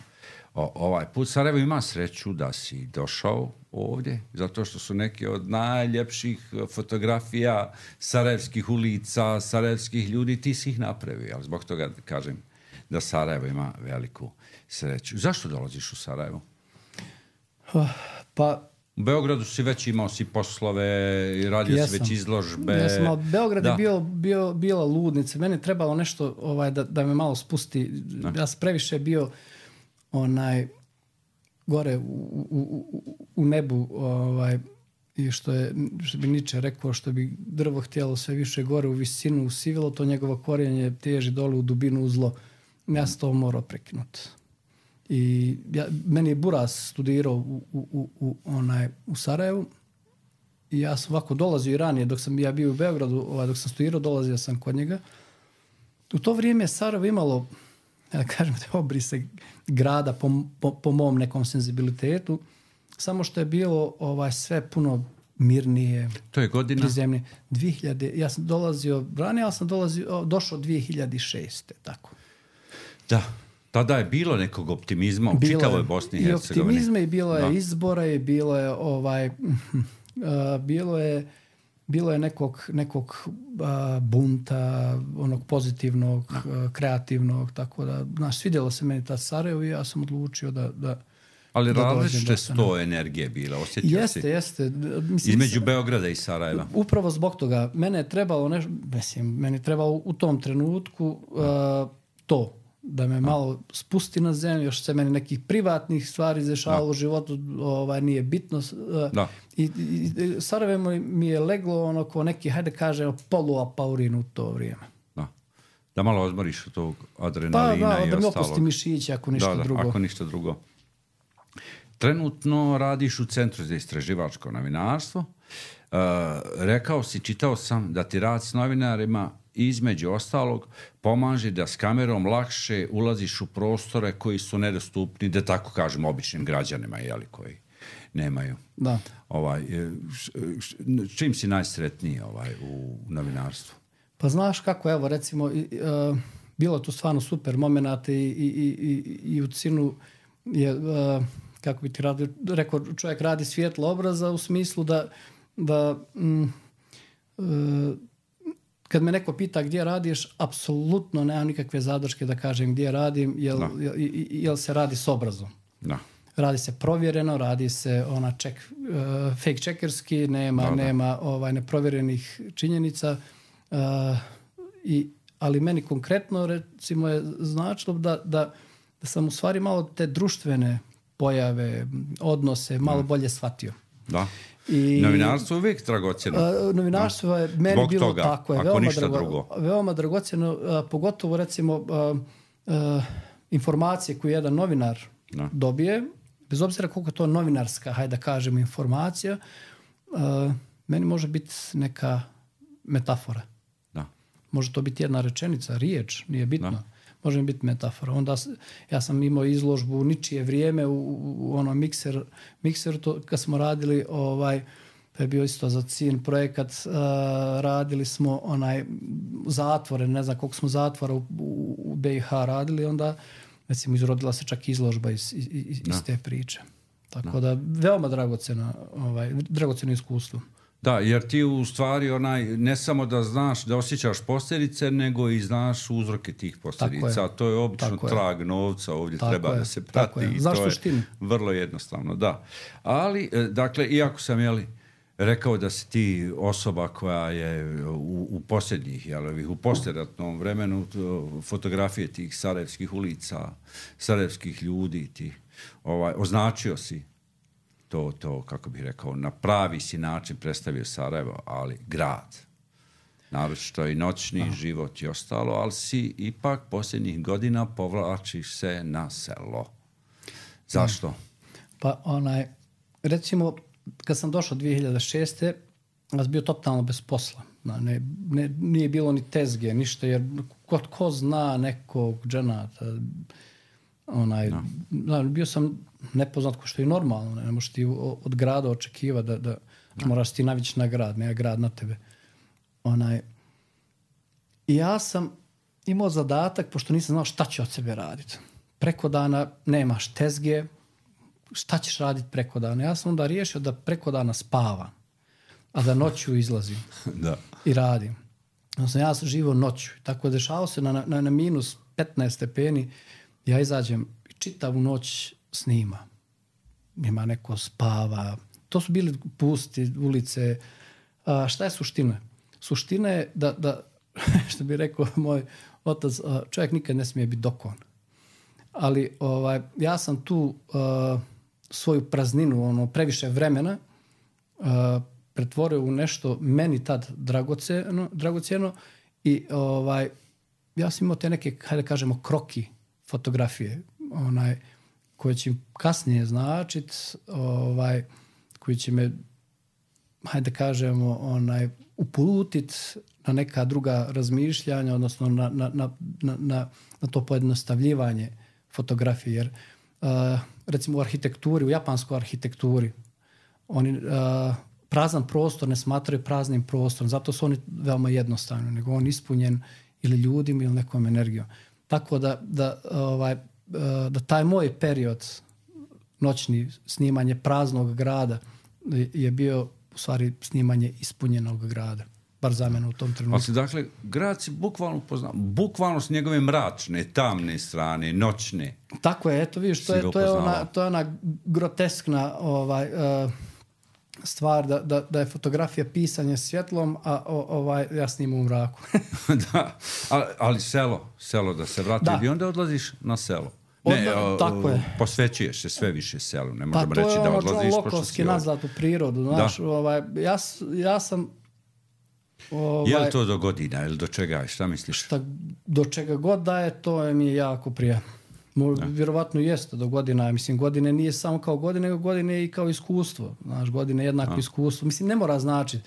Ovaj put Sarajevo ima sreću da si došao ovdje, zato što su neki od najljepših fotografija sarajevskih ulica, sarajevskih ljudi, ti si ih napravio, ali zbog toga kažem da Sarajevo ima veliku sreću. Zašto dolaziš u Sarajevo? Pa... U Beogradu si već imao poslove i radio si već izložbe. Beograd je bila ludnica. Meni je trebalo nešto da me malo spusti. Ja sam previše bio gore u nebu i što bi Nietzsche rekao, što bi drvo htjelo sve više gore u visinu usivilo, to njegovo korijenje teži dole u dubinu u zlo. Ja sam to morao prekinuti. I meni je Buras studirao u Sarajevu i ja sam ovako dolazio i ranije, dok sam ja bio u Beogradu, dok sam studirao, dolazio sam kod njega. U to vrijeme Sarajevo imalo, da kažem, te obrise grada po mom nekom senzibilitetu, samo što je bilo sve puno mirnije. To je godina? Prizemnije. 2000, ja sam dolazio ranije, ali sam došao 2006. Tako. Da. Tada je bilo nekog optimizma u čitavoj Bosni i Hercegovini. I optimizma i bilo je izbora i bilo je bilo je nekog bunta, onog pozitivnog, kreativnog, tako da, svidjelo se meni ta Sarajevo i ja sam odlučio da ali različite su to energije bile, osjetio si? Jeste. Između Beograda i Sarajeva. Upravo zbog toga. Meni je trebalo u tom trenutku to, da me malo spusti na zemlju, još se meni nekih privatnih stvari dešavalo u životu, nije bitno. I Sarajevo mi je leglo ko neki, hajde kažemo, poluapaurin u to vrijeme. Da malo odmoriš od tog adrenalina i ostalog. Da mi opusti mišiće, ako ništa drugo. Ako ništa drugo. Trenutno radiš u Centru za istraživačko novinarstvo. Rekao si, čitao sam da ti rad s novinarima između ostalog pomaže da s kamerom lakše ulaziš u prostore koji su nedostupni, da tako kažem, običnim građanima, koji nemaju. Da. Čim si najsretniji u novinarstvu? Pa znaš kako, evo recimo, bilo je tu stvarno super momenata i u Cinu je, kako bi ti rekao, čovjek radi svjetlo obraza u smislu da kad me neko pita gdje radiš, apsolutno nemam nikakve zadrške da kažem gdje radim, jel se radi s obrazom. Da. Radi se provjereno, radi se fake checkerski, nema neprovjerenih činjenica. Ali meni konkretno recimo je značilo da sam u stvari malo te društvene pojave, odnose malo bolje shvatio. Da. I novinarstvo je uvijek dragocjeno. Novinarstvo je meni zbog bilo toga, tako. Ako ništa drugo. Veoma dragocjeno, pogotovo recimo informacije koje jedan novinar dobije, bez obzira koliko je to novinarska, hajde da kažemo, informacija, meni može biti neka metafora. Da. Može to biti jedna rečenica, riječ, nije bitno. Da. Može mi biti metafora. Onda ja sam imao izložbu u ničije vrijeme u onom mikseru kad smo radili to je bio isto za CIN projekat, radili smo zatvore, ne znam koliko smo zatvora u BiH radili, onda recimo izrodila se čak izložba iz te priče. Tako da veoma dragocjeno iskustvo. Da, jer ti u stvari ne samo da znaš, da osjećaš posljedice, nego i znaš uzroke tih posljedica. To je obično trag novca, ovdje treba da se prati. I to je vrlo jednostavno, da. Ali, dakle, iako sam rekao da si ti osoba koja je u posljednjih, u poslijeratnom vremenu fotografije tih sarajevskih ulica, sarajevskih ljudi, označio si to, kako bih rekao, na pravi si način predstavio Sarajevo, ali grad. Naročito i noćni život i ostalo, ali si ipak posljednjih godina povlačiš se na selo. Zašto? Pa recimo, kad sam došao 2006. ja sam bio totalno bez posla. Nije bilo ni tezge, ništa, jer ko zna nekog dženata. Bio sam nepoznat, ko što je normalno. Ne možeš ti od grada očekivati da moraš ti navići na grad, ne grad na tebe. I ja sam imao zadatak, pošto nisam znao šta ću od sebe raditi. Preko dana nemaš tezge, šta ćeš raditi preko dana? Ja sam onda riješio da preko dana spavam, a da noću izlazim i radim. Ja sam živio noću. Tako je dešavao se na minus 15 stepeni. Ja izađem i čitavu noć snima. Ima neko spava. To su bili pusti ulice. Šta je suština? Suština je da što bi rekao moj otac, čovjek nikad ne smije biti dokon. Ali ja sam tu svoju prazninu, previše vremena pretvorio u nešto meni tad dragocjeno i ja sam imao te neke, hajde kažemo, kroki fotografije, koje će kasnije značiti, koji će me, hajde kažemo, uputiti na neka druga razmišljanja, odnosno na to pojednostavljivanje fotografije. Jer recimo u arhitekturi, u japanskoj arhitekturi, oni prazan prostor ne smatraju praznim prostorom, zato su oni veoma jednostavni, nego on ispunjen ili ljudima ili nekom energijom. Tako da taj moj period noćni snimanje praznog grada je bio u stvari snimanje ispunjenog grada. Bar za mene u tom trenutku. Dakle, grad si bukvalno poznao. Bukvalno s njegove mračne, tamne strane, noćne. Tako je, eto vidiš, to je ona groteskna stvar da je fotografija pisanje svjetlom, a ja snimam u mraku. Da, ali selo da se vrati i onda odlaziš na selo. Tako je. Posvećuješ se sve više selu. Ne možemo reći da odlaziš. Pa to je lokovski nazad u prirodu. Znaš, ja sam... je li to do godina ili do čega? Šta misliš? Do čega god da je, to mi je jako prijatno. Vjerovatno jeste do godina. Mislim, godine nije samo kao godine, nego godine je i kao iskustvo. Znaš, godine je jednako iskustvo. Mislim, ne mora značiti.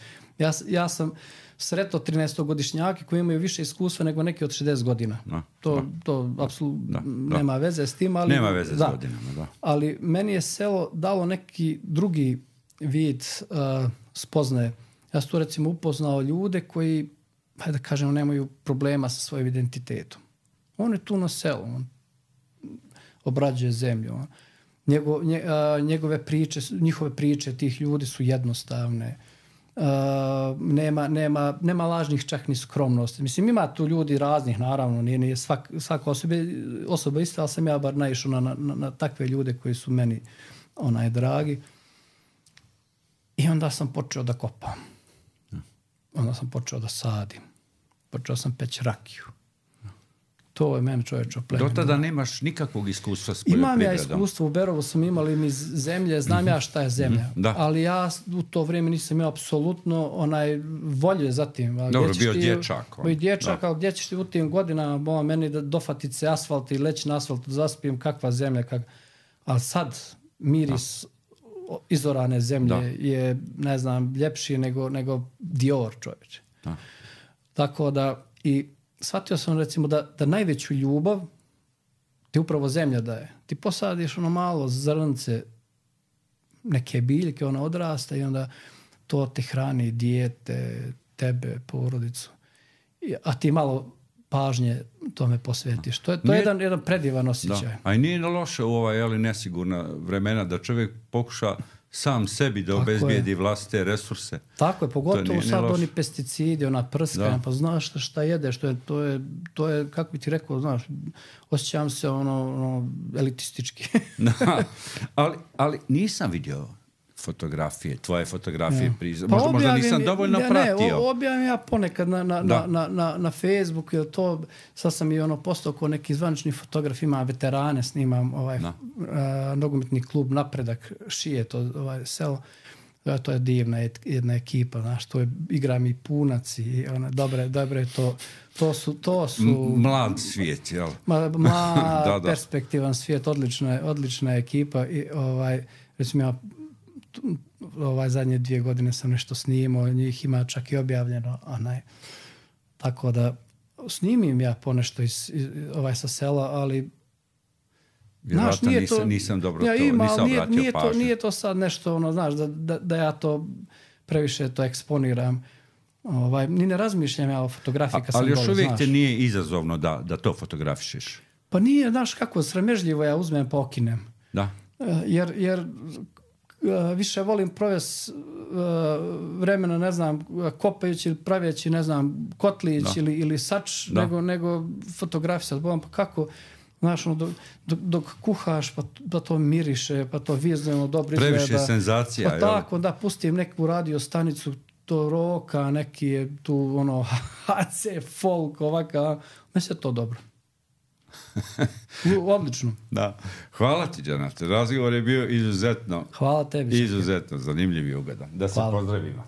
Ja sam sretao 13-godišnjake koji imaju više iskustva nego neki od 60 godina. To apsolutno nema veze s tim. Ali, nema veze s godinama, da. Ali meni je selo dalo neki drugi vid spoznaje. Ja sam tu recimo upoznao ljude koji, hajde da kažemo, nemaju problema sa svojim identitetom. On je tu na selu, on obrađuje zemlju. Njihove priče tih ljudi su jednostavne. nema lažnih čak ni skromnosti. Mislim, ima tu ljudi raznih, naravno, nije svaka osoba ista, ali sam ja bar naišao na takve ljude koji su meni dragi. I onda sam počeo da kopam. Onda sam počeo da sadim. Počeo sam peći rakiju. To je meni čovječe oplemenilo. Do tada nemaš nikakvog iskustva s poljoprivredom? Imam ja iskustvo, u Berovu sam imali mi zemlje, znam ja šta je zemlja. Ali ja u to vrijeme nisam imao apsolutno volje za tim. Dobro, bio dječak. Bio dječak, ali gdje ćeš ti u tim godinama meni da dofatit se asfalt i leći na asfalt, zaspijem kakva zemlja. Ali sad miris izorane zemlje je, ne znam, ljepši nego Dior, čovječe. Tako da i shvatio sam recimo da najveću ljubav ti upravo zemlja daje. Ti posadiš malo zrnce neke biljke, ona odrasta i onda to te hrani dijete, tebe, porodicu. A ti malo pažnje tome posvetiš. To je jedan predivan osjećaj. Da. A i nije loše u nesigurna vremena da čovjek pokuša sam sebi da obezbijedi vlastite resurse. Tako je, pogotovo sad oni pesticidi, ona prskanja, pa znaš šta jedeš, to je, kako bi ti rekao, znaš, osjećam se elitistički. ali nisam vidio fotografije, tvoje fotografije možda nisam dovoljno pratio. Objavim ja ponekad na Facebooku, jer to, sad sam i postao kao neki zvanični fotograf, ima veterane, snimam nogometni klub Napredak, Šije, to selo. To je divna jedna ekipa, znaš, to je, igram i Punac i dobre, to su mlad svijet, jel? Mlad, perspektivan svijet, odlična ekipa i recimo ja zadnje 2 godine sam nešto snimao, njih ima čak i objavljeno, tako da snimim ja ponešto sa sela, ali vjerojatno nisam dobro nisam obratio pažnju. Nije to sad nešto, znaš, da ja to previše to eksponiram. Ni ne razmišljam ja o fotografiji kad sam ali još uvijek znaš. Te nije izazovno da to fotografišeš? Pa nije, znaš kako, sramežljivo ja uzmem pa okinem. Da. Jer više volim provesti vremena, ne znam, kopajući ili pravijeći, ne znam, kotlić ili sač, nego fotografisati. Pa kako, znaš, dok kuhaš, pa to miriše, pa to vizualno dobro izgleda. Previše senzacija. Pa tako, da pustim neku radio stanicu, to roka, neki je tu HC, folk, ovaka, mislim to dobro. Odlično. Da. Hvala ti, Džanate. Razgovor je bio izuzetno. Hvala tebi. Izuzetno zanimljiv i ugodan. Da se pozdravimo.